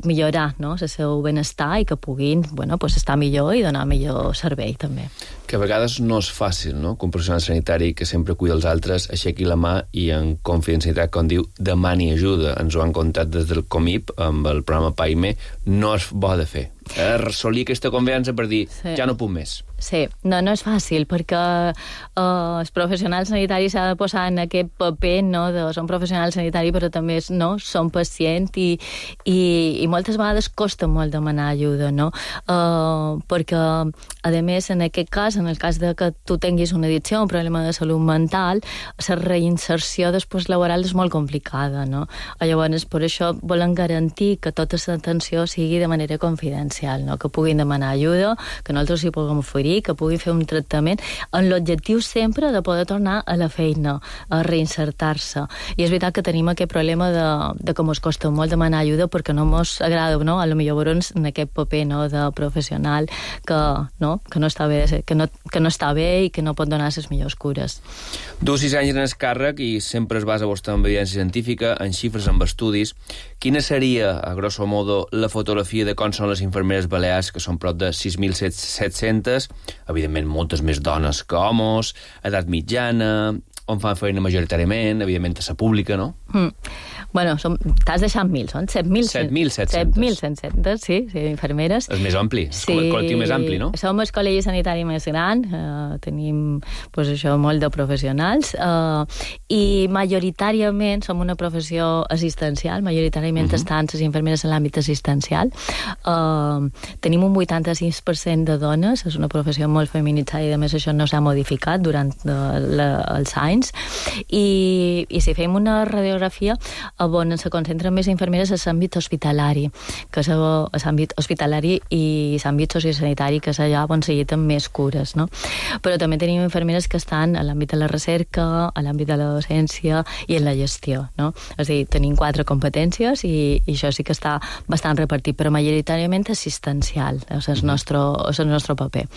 millorar, no?, el seu benestar i que puguin estar millor i donar millor servei també. Que a vegades no és fàcil, no?, que un professional sanitari que sempre cuida els altres aixequi la mà i en confidencialitat, com diu, demani ajuda. Ens ho han contat des del COMIP amb el programa PAIME. No és bo de fer. Assolir aquesta confiança per dir, ja no puc més. Sí, no és fàcil, perquè els professionals sanitaris s'ha de posar en aquest paper, no?, de són professionals sanitaris, però també són pacients i moltes vegades costa molt demanar ajuda, no? Perquè, a més, en aquest cas, en el cas de que tu tinguis una addicció, un problema de salut mental, la reinserció després laboral és molt complicada, no? Llavors, per això volen garantir que tota l'atenció sigui de manera confidencial, no?, que puguin demanar ajuda, que nosaltres hi puguem oferir, que puguin fer un tractament, amb l'objectiu sempre de poder tornar a la feina, a reinsertar-se. I és veritat que tenim aquest problema de que ens costa molt demanar ajuda perquè no ens agrada, no?, a lo millor veure'ns en aquest paper, no?, de professional que no està bé i que no pot donar les millors cures. Du 6 anys en el càrrec i sempre es basa vostè en evidència científica, en xifres, en estudis. Quina seria, a grosso modo, la fotografia de com són les infermeres balears, que són prop de 6.700, evidentment moltes més dones que homes, edat mitjana, on fan feina majoritàriament, evidentment a la pública, no? Bueno, t'has deixat 1.000, són 7.700, sí, infermeres. És més ampli, és el col·lectiu més ampli, no? Som el col·legi sanitari més gran, tenim molt de professionals, i majoritàriament som una professió assistencial, majoritàriament estan les infermeres en l'àmbit assistencial. Tenim un 86% de dones, és una professió molt feminitzada i a més això no s'ha modificat durant els anys, i si fem una radiografia on se concentren més infermeres a l'àmbit hospitalari, que és l'àmbit hospitalari i l'àmbit sociosanitari, que és allà on se lliten més cures, no? Però també tenim infermeres que estan a l'àmbit de la recerca, a l'àmbit de la docència i en la gestió, no? És a dir, tenim 4 competències i això sí que està bastant repartit, però majoritàriament assistencial, és el nostre paper.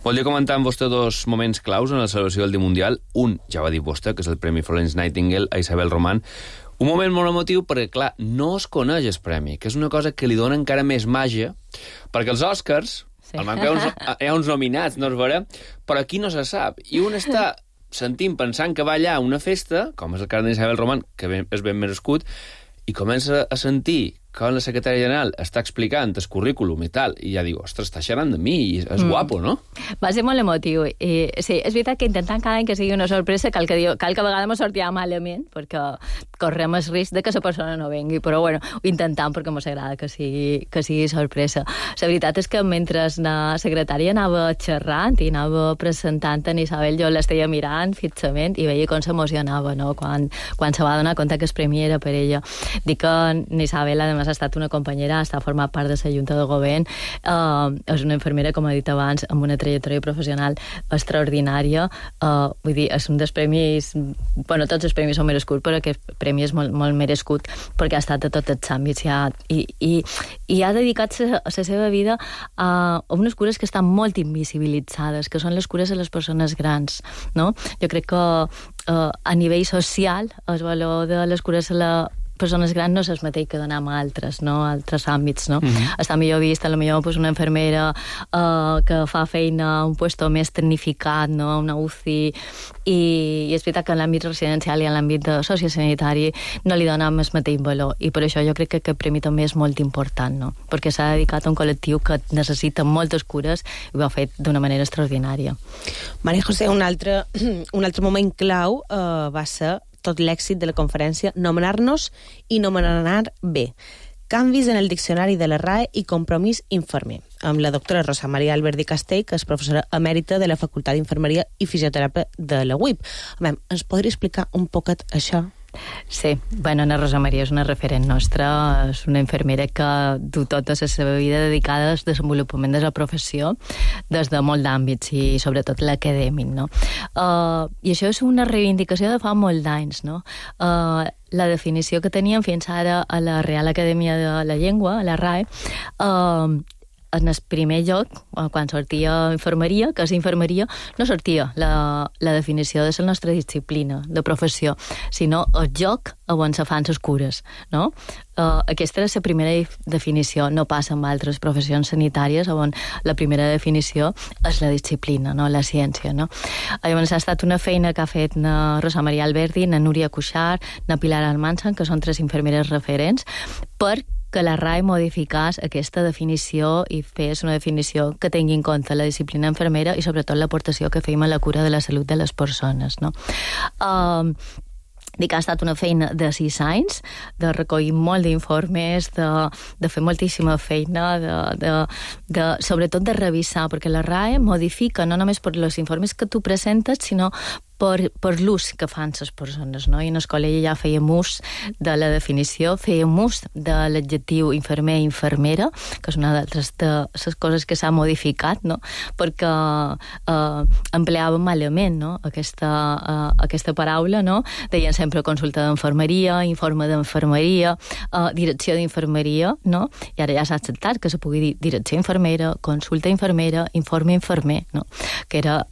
Volia comentar amb vostè 2 moments claus en la celebració del Dia Mundial. Un, ja va dir vostè, que és el Premi Florence Nightingale a Isabel Román. Un moment molt emotiu perquè, clar, no es coneix el premi, que és una cosa que li dona encara més màgia, perquè els Oscars, al manc hi ha uns nominats, no es veurà, però aquí no se sap. I un està sentint, pensant que va allà a una festa, com és el cas d'Isabel Román, que és ben merescut, i comença a sentir quan la secretària general està explicant el currículum i tal, i ja diu, ostres, està xerrant de mi, i és guapo, no? Va ser molt emotiu. Sí, és veritat que intentant cada any que sigui una sorpresa, cal que a vegades me sortia malament, perquè correm el risc de que la persona no vengui, però bueno, ho intentam perquè ens agrada que sigui sorpresa. La veritat és que mentre la secretària anava xerrant i anava presentant en Isabel, jo l'esteia mirant fixament i veia com s'emocionava, no?, quan se va donar compte que el premi era per ella. Dic que Isabel, a ha estat una companyera, està format part de la Junta de Govern, és una infermera, com he dit abans, amb una trajectòria professional extraordinària. Vull dir, és un dels premis... Bueno, tots els premis són merescuts, però aquest premi és molt, molt merescut perquè ha estat a tots els àmbits i ha dedicat la seva vida a unes cures que estan molt invisibilitzades, que són les cures de les persones grans, no? Jo crec que a nivell social el valor de les cures a persones grans no és el mateix que donem a altres, no? A altres àmbits, no? Està millor vist, potser pues, una infermera que fa feina a un puesto més tecnificat, no? Una UCI, i és veritat que en l'àmbit residencial i en l'àmbit sociosanitari no li donem el mateix valor, i per això jo crec que aquest premi també és molt important, no? Perquè s'ha dedicat a un col·lectiu que necessita moltes cures i ho ha fet d'una manera extraordinària. Maria José, un altre moment clau va ser tot l'èxit de la conferència Nomenar-nos i nomenar bé. Canvis en el diccionari de la RAE i compromís infermer, amb la doctora Rosa Maria Alberdi Castell, que és professora emèrita de la Facultat d'Infermeria i Fisioteràpia de la UIP. Ens podria explicar un poquet això? Sí, bueno, la Rosa Maria és una referent nostra, és una infermera que du tota la seva vida dedicada al desenvolupament de la professió des de molt d'àmbits i sobretot l'acadèmic, no? I això és una reivindicació de fa molt d'anys, no? La definició que teníem fins ara a la Real Acadèmia de la Llengua, a la RAE, en el primer lloc, quan sortia infermeria, que és infermeria, no sortia la definició de la nostra disciplina, de professió, sinó el lloc on se fan les cures, no? Aquesta era la primera definició, no passa amb altres professions sanitàries on la primera definició és la disciplina, no? La ciència, no? Llavors ha estat una feina que ha fet na Rosa Maria Alberdi, na Núria Cuixart, na Pilar Almansa, que són 3 infermeres referents, per que la RAE modificés aquesta definició i fes una definició que tingui en compte la disciplina infermera i sobretot l'aportació que fèiem a la cura de la salut de les persones, no? Dic que ha estat una feina de 6 anys, de recollir molt d'informes, de fer moltíssima feina, sobretot de revisar, perquè la RAE modifica no només per els informes que tu presentes, sinó per l'ús que fan les persones, no? I en el col·legi ja fèiem ús de la definició, fèiem ús de l'adjectiu infermer i infermera, que és una d'altres de les coses que s'ha modificat, no? Perquè empleàvem malament, no? Aquesta paraula, no? Deien sempre consulta d'infermeria, informe d'infermeria, direcció d'infermeria, no? I ara ja s'ha acceptat que se pugui dir direcció infermera, consulta infermera, informe infermer, no? Que era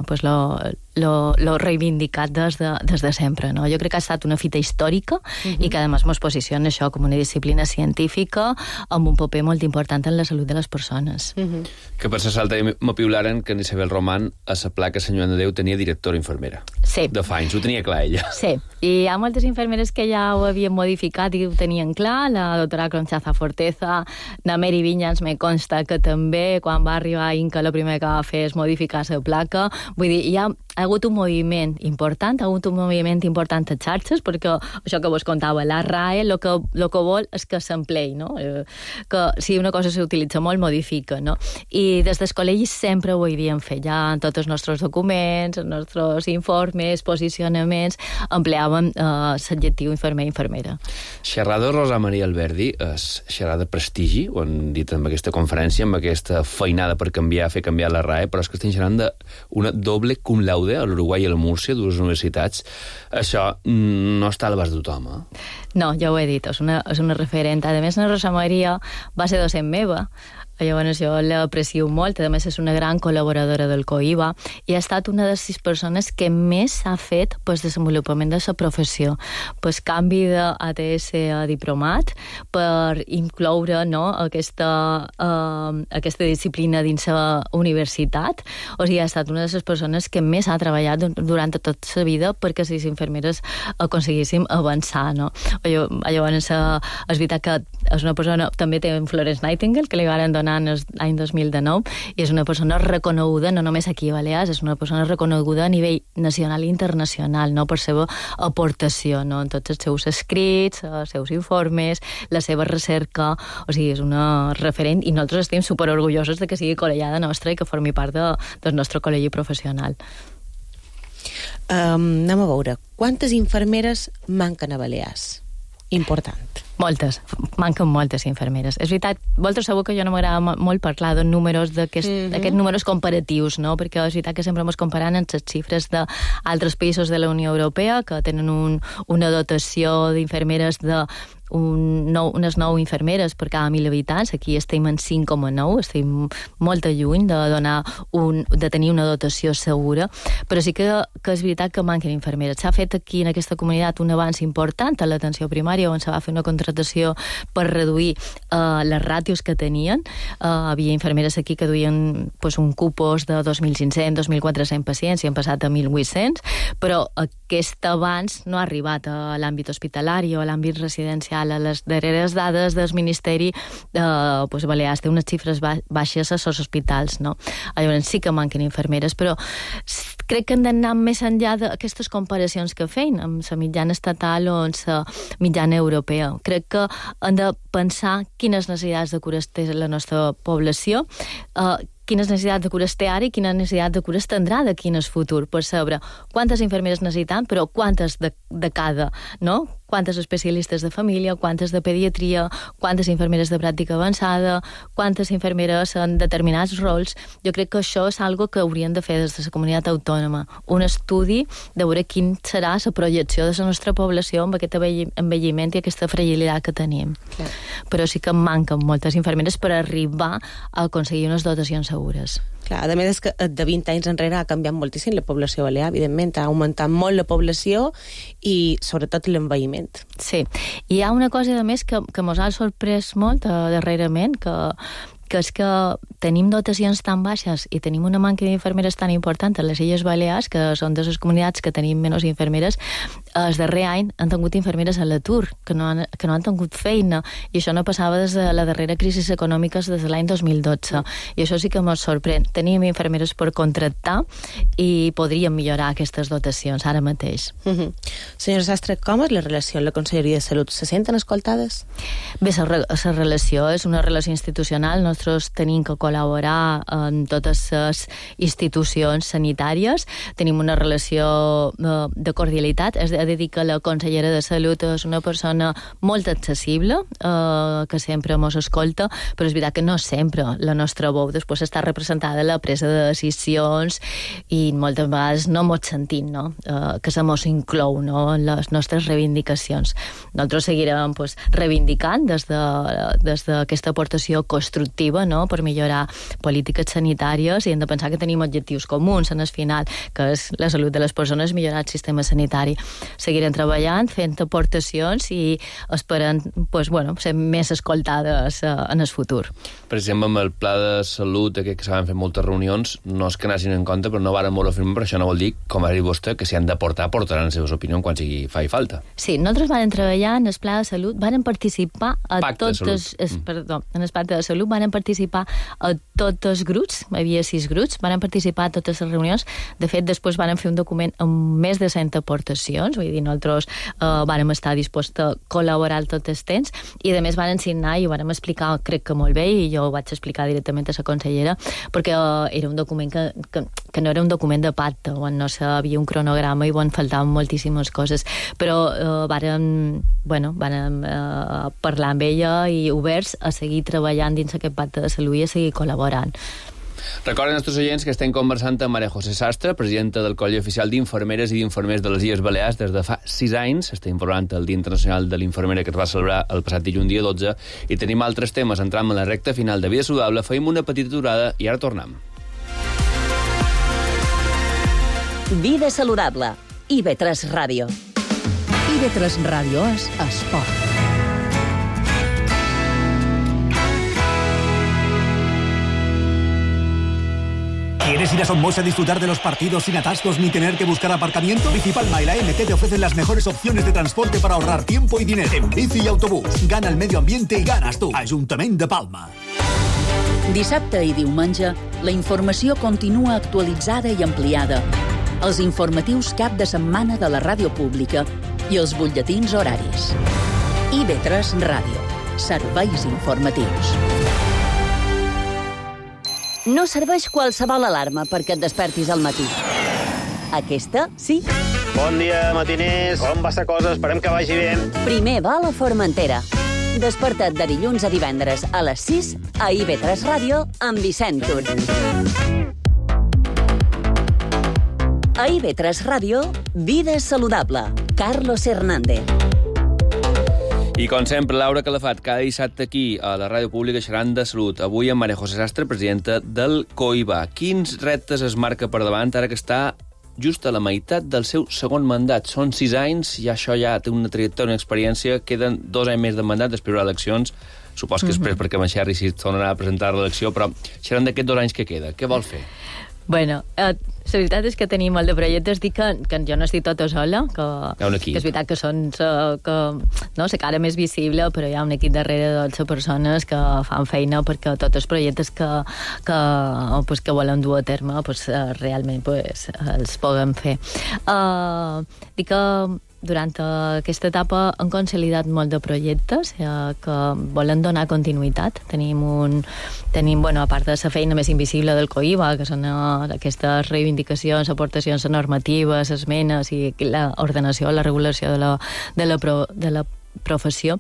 pues lo reivindicat des de sempre, no? Jo crec que ha estat una fita històrica i que, a més, mos posiciona això com una disciplina científica amb un paper molt important en la salut de les persones. Que per la salta m'apiularen que en Isabel Román a la placa Sant Joan de Déu tenia directora infermera. Sí. De fa anys, ho tenia clar ella. Sí, i hi ha moltes infermeres que ja ho havien modificat i ho tenien clar, la doctora Conchaza Forteza, la Mary Vinyans me consta que també, quan va arribar a Inca, el primer que va fer és modificar la placa. Vull dir, hi ha hagut un moviment important, a xarxes, perquè això que vos contava, la RAE, el que vol és que s'emplei, no? Que si una cosa s'utilitza molt, modifica, no? I des del col·legi sempre ho havíem fet, ja en tots els nostres documents, els nostres informes, posicionaments, empleàvem l'adjectiu infermer i infermera. Xerrada Rosa Maria Alberdi és xerrada prestigi, ho han dit en aquesta conferència, amb aquesta feinada per fer canviar la RAE, però és que estem xerrant d'una doble cum laude a l'Uruguai i a la Múrcia, dues universitats. Això no està a l'abast de tothom, eh? No, ja ho he dit, és una referent. A més, la Rosa Maria va ser docent meva, llavors jo l'aprecio molt, a més és una gran col·laboradora del COIBA i ha estat una de les persones que més ha fet pel desenvolupament de la professió, pel canvi d'ATS a diplomat, per incloure, no, aquesta disciplina dins la universitat. O sigui, ha estat una de les persones que més ha treballat durant tota la vida perquè les infermeres aconseguíssim avançar, no? Llavors, és veritat que és una persona, també té un Florence Nightingale, que li van donar l'any 2019, i és una persona reconeguda, no només aquí a Balears, és una persona reconeguda a nivell nacional i internacional, no, per seva aportació, no, en tots els seus escrits, els seus informes, la seva recerca. O sigui, és una referent i nosaltres estem superorgullosos de que sigui col·legiada nostra i que formi part del nostre col·legi professional. Anem a veure, quantes infermeres manquen a Balears? Important. Moltes, manquen moltes infermeres. És veritat, vosaltres sabeu que jo no m'agrada molt parlar de números, d'aquests números comparatius, no? Perquè és veritat que sempre ens comparant amb les xifres d'altres països de la Unió Europea que tenen una dotació d'infermeres de unes 9 infermeres per cada 1.000 habitants. Aquí estem en 5,9, estem molt lluny de tenir una dotació segura, però sí que és veritat que manquen infermeres. S'ha fet aquí en aquesta comunitat un avanç important a l'atenció primària, on se va fer una contractació per reduir les ràtios que tenien. Havia infermeres aquí que duien un cupos de 2.500, 2.400 pacients i han passat a 1.800, però aquest avanç no ha arribat a l'àmbit hospitalari o a l'àmbit residencial. A les darreres dades del Ministeri Balears té unes xifres baixes a els hospitals, no? Llavors sí que manquen infermeres, però crec que hem d'anar més enllà d'aquestes comparacions que feien amb la mitjana estatal o amb la mitjana europea. Crec que hem de pensar quines necessitats de cures té la nostra població, quines necessitats de cures té ara i quines necessitats de cures tindrà d'aquí en el futur, per saber quantes infermeres necessitem, però quantes de cada, no? Quantes especialistes de família, quantes de pediatria, quantes infermeres de pràctica avançada, quantes infermeres en determinats rols. Jo crec que això és algo que haurien de fer des de la comunitat autònoma. Un estudi de veure quin serà la projecció de la nostra població amb aquest envelliment i aquesta fragilitat que tenim. Clar. Però sí que manquen moltes infermeres per arribar a aconseguir unes dotacions segures. Clar, a més és que de 20 anys enrere ha canviat moltíssim la població balear, evidentment, ha augmentat molt la població i sobretot l'envelliment. Sí, i hi ha una cosa a més que mos ha sorprès molt darrerament, que és que tenim dotacions tan baixes i tenim una manca d'infermeres tan important a les Illes Balears, que són de les comunitats que tenim menys infermeres. El darrer any han tingut infermeres a l'atur, que no han tingut feina, i això no passava des de la darrera crisi econòmica des de l'any 2012. I això sí que ens sorprèn. Tenim infermeres per contractar i podríem millorar aquestes dotacions ara mateix. Senyora Sastre, com és la relació amb la Conselleria de Salut? Se senten escoltades? Bé, la relació és una relació institucional. Nosaltres tenim que col·laborar amb totes les institucions sanitàries, tenim una relació de cordialitat. És a dir que la consellera de Salut és una persona molt accessible, que sempre ens escolta, però és veritat que no sempre la nostra veu després està representada a la presa de decisions i moltes vegades no ens sentim, no? Que se mos inclou, no? En les nostres reivindicacions. Nosaltres seguirem reivindicant des d'aquesta aportació constructiva, no? Per millorar polítiques sanitàries, i hem de pensar que tenim objectius comuns en el final, que és la salut de les persones, millorar el sistema sanitari. Seguirem treballant, fent aportacions i esperant ser més escoltades en el futur. Per exemple, amb el pla de salut, que s'han fet moltes reunions, no és que n'hagin en compte, però no varen molt afirmar, però això no vol dir, com ha dit vostè, que s'hi han d'aportar, portaran les seves opinions quan faci falta. Sí, nosaltres vàrem treballar en el pla de salut, vàrem participar en el pacte de salut, vàrem participar a tots els grups, hi havia 6 grups, vàrem participar a totes les reunions. De fet, després vàrem fer un document amb més de 100 aportacions, vull dir, nosaltres vàrem estar disposats a col·laborar tot el temps, i a més vàrem signar i ho vàrem explicar, crec que molt bé, i jo ho vaig explicar directament a la consellera, perquè era un document que no era un document de pacte, on no havia un cronograma i on faltaven moltíssimes coses, però vàrem parlar amb ella i oberts a seguir treballant dins aquest pacte de salut i a seguir col·laborant. Recorden als nostres oients que estem conversant amb Maria José Sastre, presidenta del Col·legi Oficial d'Infermeres i d'Infermers de les Illes Balears des de fa 6 anys. Estem informant el Dia Internacional de l'Infermera, que es va celebrar el passat dilluns dia 12, i tenim altres temes. Entrem en la recta final de Vida Saludable, feim una petita aturada i ara tornem. Vida Saludable. IB3 Ràdio. IB3 Ràdio és esport. ¿Quieres ir a Somos a disfrutar de los partidos sin atascos ni tener que buscar aparcamiento? Bicipalma y la MT te ofrecen las mejores opciones de transporte para ahorrar tiempo y dinero. En bici y autobús. Gana el medio ambiente y ganas tú. Ajuntament de Palma. Dissabte i diumenge, la informació continua actualitzada i ampliada. Els informatius cap de setmana de la ràdio pública i els butlletins horaris. IB3 Ràdio. Serveis informatius. No serveix qualsevol alarma perquè et despertis al matí. Aquesta, sí. Bon dia, matiners. Com va la cosa? Esperem que vagi bé. Primer va a la Formentera. Desperta't de dilluns a divendres a les 6 a IB3 Ràdio amb Vicent Tur. A IB3 Ràdio, Vida Saludable. Carlos Hernández. I com sempre, Laura Calafat, cada dissabte aquí a la Ràdio Pública xerrant de salut. Avui amb Maria José Sastre, presidenta del COIBA. Quins reptes es marca per davant ara que està just a la meitat del seu segon mandat? Són 6 anys i això ja té una trajectòria, una experiència. Queden 2 anys més de mandat, després de eleccions. Supos que després, perquè amb en Xerri sí tornarà a presentar l'elecció, però xerrant d'aquests 2 anys que queda. Què vol fer? Bueno, la veritat és que tenim molt de projectes. Dic que jo no estic tota sola, que és veritat que són la cara més visible, però hi ha un equip darrere de 12 persones que fan feina perquè tots els projectes que volen dur a terme realment els puguem fer. Dic que durant aquesta etapa han consolidat molt de projectes que volen donar continuïtat. Tenim, a part de la feina més invisible del COIBA, que són aquestes reivindicacions, aportacions normatives, esmenes i l'ordenació, la regulació de la professió,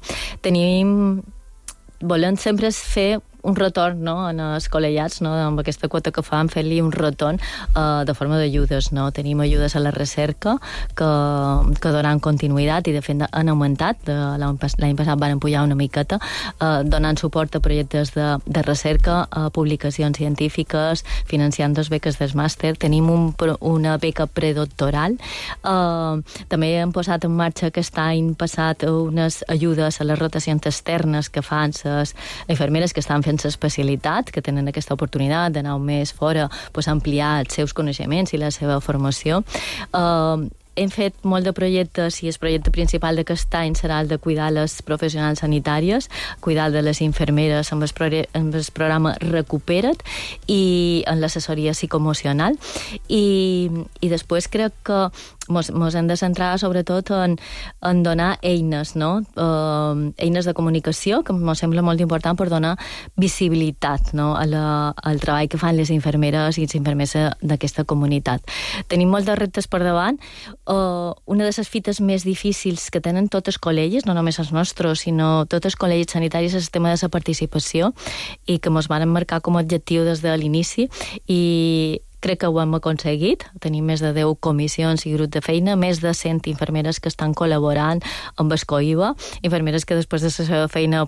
volem sempre fer un retorn en els col·legiats, amb aquesta quota que fan, fer-li un retorn de forma d'ajudes. Tenim ajudes a la recerca que donen continuïtat i de fet han augmentat. L'any passat van pujar una miqueta, donant suport a projectes de recerca, a publicacions científiques, financiant 2 beques del màster. Tenim una beca predoctoral. També hem posat en marxa aquest any passat unes ajudes a les rotacions externes que fan les infermeres que estan fent l'especialitat, que tenen aquesta oportunitat d'anar un mes fora, ampliar els seus coneixements i la seva formació. Hem fet molt de projectes i el projecte principal d'aquest any serà el de cuidar les professionals sanitàries, cuidar de les infermeres amb el programa Recupera't i en l'assessoria psicoemocional. I després crec que ens hem de centrar sobretot en donar eines, eines de comunicació, que em sembla molt important per donar visibilitat al treball que fan les infermeres i els infermers d'aquesta comunitat. Tenim molts de reptes per davant. Una de les fites més difícils que tenen tots els col·legis, no només els nostres, sinó tots els col·legis sanitaris, és el tema de la participació i que ens van marcar com a objectiu des de l'inici i crec que ho hem aconseguit. Tenim més de 10 comissions i grups de feina, més de 100 infermeres que estan col·laborant amb el COIBA, infermeres que després de la seva feina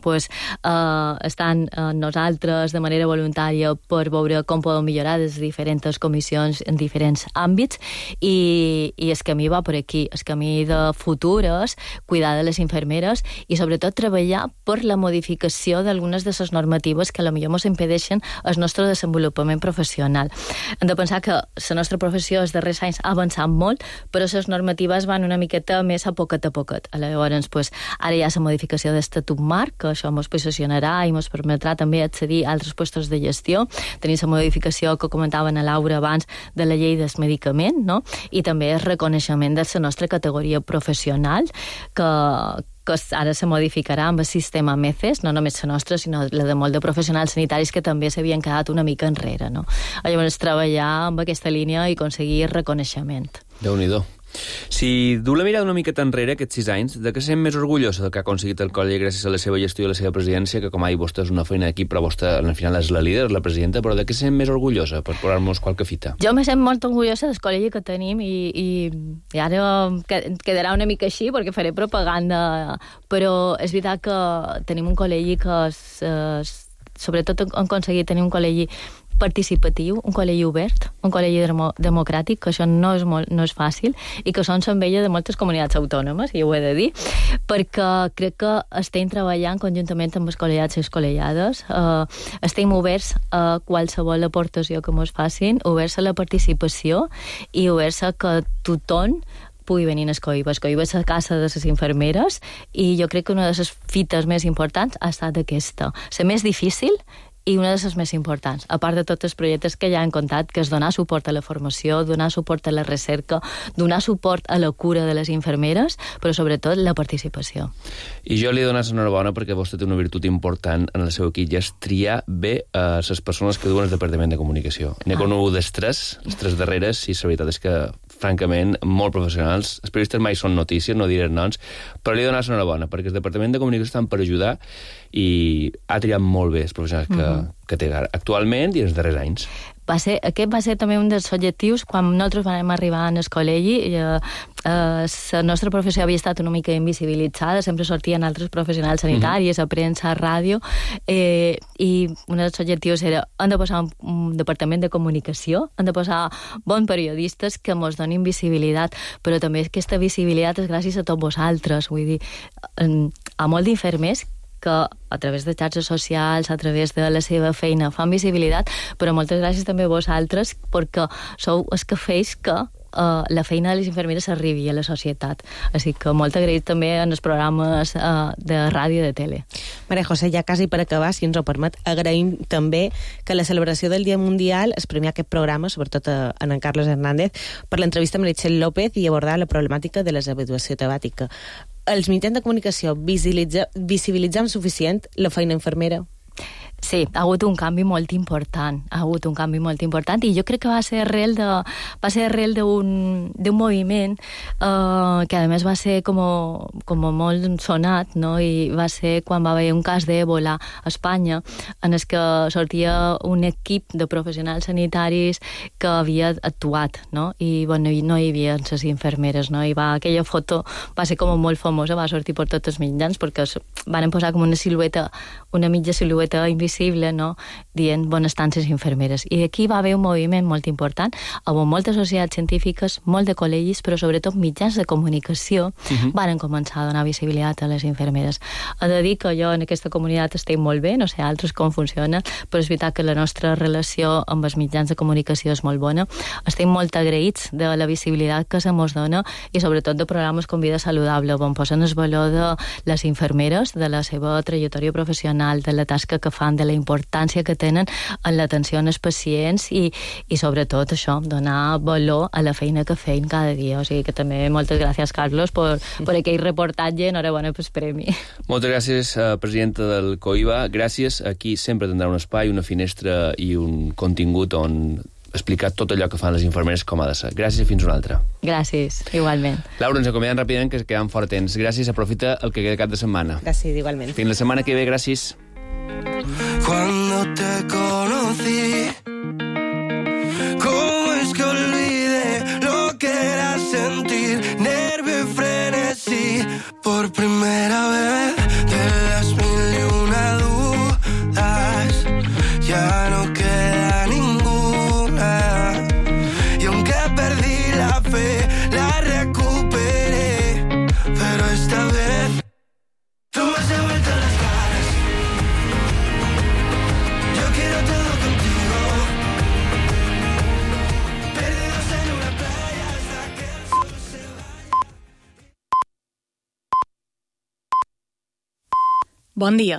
estan nosaltres de manera voluntària per veure com podem millorar les diferents comissions en diferents àmbits i el camí va per aquí. El camí de futur és cuidar de les infermeres i sobretot treballar per la modificació d'algunes de les normatives que potser ens impedeixen el nostre desenvolupament professional. Hem de pensar que la nostra professió els darrers anys ha avançat molt, però les normatives van una miqueta més a poquet a poquet. Llavors, ara hi ha la modificació d'estatut marc, que això ens posicionarà i ens permetrà també accedir a altres puestos de gestió. Tenim la modificació que comentaven a Laura abans de la llei del medicament, i també el reconeixement de la nostra categoria professional, que ara se modificarà amb el sistema MECES, no només la nostra, sinó la de molt de professionals sanitaris que també s'havien quedat una mica enrere. Llavors, treballar amb aquesta línia i aconseguir reconeixement. Déu-n'hi-do. Si du la mirada una miqueta enrere, aquests 6 anys, de què sent més orgullosa del que ha aconseguit el col·legi gràcies a la seva gestió i a la seva presidència, que com ha dit vostè és una feina d'equip, però vostè al final és la líder, la presidenta, però de què sent més orgullosa, per posar-nos qualque fita? Jo me sent molt orgullosa del col·legi que tenim i ara quedarà una mica així perquè faré propaganda, però és veritat que tenim un col·legi que sobretot hem aconseguit tenir un col·legi participatiu, un col·legi obert, un col·legi democràtic, que això no és fàcil i que són l'enveja de moltes comunitats autònomes, i ho he de dir, perquè crec que estem treballant conjuntament amb els col·legiats i les col·legiades, estem oberts a qualsevol aportació que ens facin, oberts a la participació i oberts a que tothom pugui venir al COIBA. El COIBA és la casa de les infermeres i jo crec que una de les fites més importants ha estat aquesta. La més difícil i una de les més importants, a part de tots els projectes que ja hem contat, que és donar suport a la formació, donar suport a la recerca, donar suport a la cura de les infermeres, però sobretot la participació. I jo li dono enhorabona perquè vostè té una virtut important en el seu equip, i és triar bé les persones que duen el Departament de Comunicació. N'he conegut les tres darreres, i la veritat és que, francament, molt professionals. Els periodistes mai són notícies, no diré noms, però li dono enhorabona, perquè el Departament de Comunicació estan per ajudar i ha triat molt bé els professionals que té actualment i els darrers anys. Aquest va ser també un dels objectius quan nosaltres vam arribar al col·legi. La nostra professió havia estat una mica invisibilitzada, sempre sortien altres professionals sanitaris, a premsa, a ràdio, i un dels objectius era hem de posar un departament de comunicació, hem de posar bons periodistes que ens donin visibilitat, però també aquesta visibilitat és gràcies a tots vosaltres, vull dir, a molts d'infermers que a través de xarxes socials, a través de la seva feina, fan visibilitat, però moltes gràcies també a vosaltres, perquè sou els que feis que la feina de les infermeres arribi a la societat. Així que molt agraït també en els programes de ràdio i de tele. Maria José, ja quasi per acabar, si ens ho permet, agraïm també que la celebració del Dia Mundial es premia aquest programa, sobretot en Carlos Hernández, per l'entrevista a Meritxell López i abordar la problemàtica de la deshabituació temàtica. Els mitjans de comunicació visibilitzem suficient la feina infermera? Sí, ha hagut un canvi molt important, i jo crec que va ser arrel d'un moviment que a més va ser com molt sonat, no? I va ser quan va haver un cas d'Ebola a Espanya, en el que sortia un equip de professionals sanitaris que havia actuat, no? I bueno, no hi havia les infermeres, no? I aquella foto va ser com molt famosa, va sortir per tots els mitjans, perquè van posar com una mitja silueta invisible, no? Dient bones tances infermeres. I aquí va haver un moviment molt important, amb moltes societats científiques, molt de col·legis, però sobretot mitjans de comunicació van començar a donar visibilitat a les infermeres. He de dir que jo en aquesta comunitat estic molt bé, no sé altres com funciona, però és veritat que la nostra relació amb els mitjans de comunicació és molt bona. Estem molt agraïts de la visibilitat que se mos dona i sobretot de programes com Vida Saludable, on posen el valor de les infermeres, de la seva trajectòria professional, de la tasca que fan, de la importància que tenen en l'atenció als pacients i sobretot això, donar valor a la feina que feien cada dia. O sigui que també moltes gràcies, Carlos, per aquell reportatge. Enhorabona pel premi. Moltes gràcies, presidenta del COIBA. Gràcies. Aquí sempre tindrà un espai, una finestra i un contingut on explicar tot allò que fan les infermeres com ha de ser. Gràcies i fins una altra. Gràcies, igualment. Laura, ens acomiadem ràpidament, que quedem fort temps. Gràcies, aprofita el que queda cap de setmana. Gràcies, igualment. Fins la setmana que ve, gràcies. Cuando te conocí, ¿cómo es que olvidé lo que era sentir nervio y frenesí por primera vez? De las mil y una dudas ya no queda ninguna, y aunque perdí la fe la recuperé, pero esta vez tú me has devuelto las ganas. Yo quiero todo contigo, perdidos en una playa hasta que el sol se vaya. Bon dia,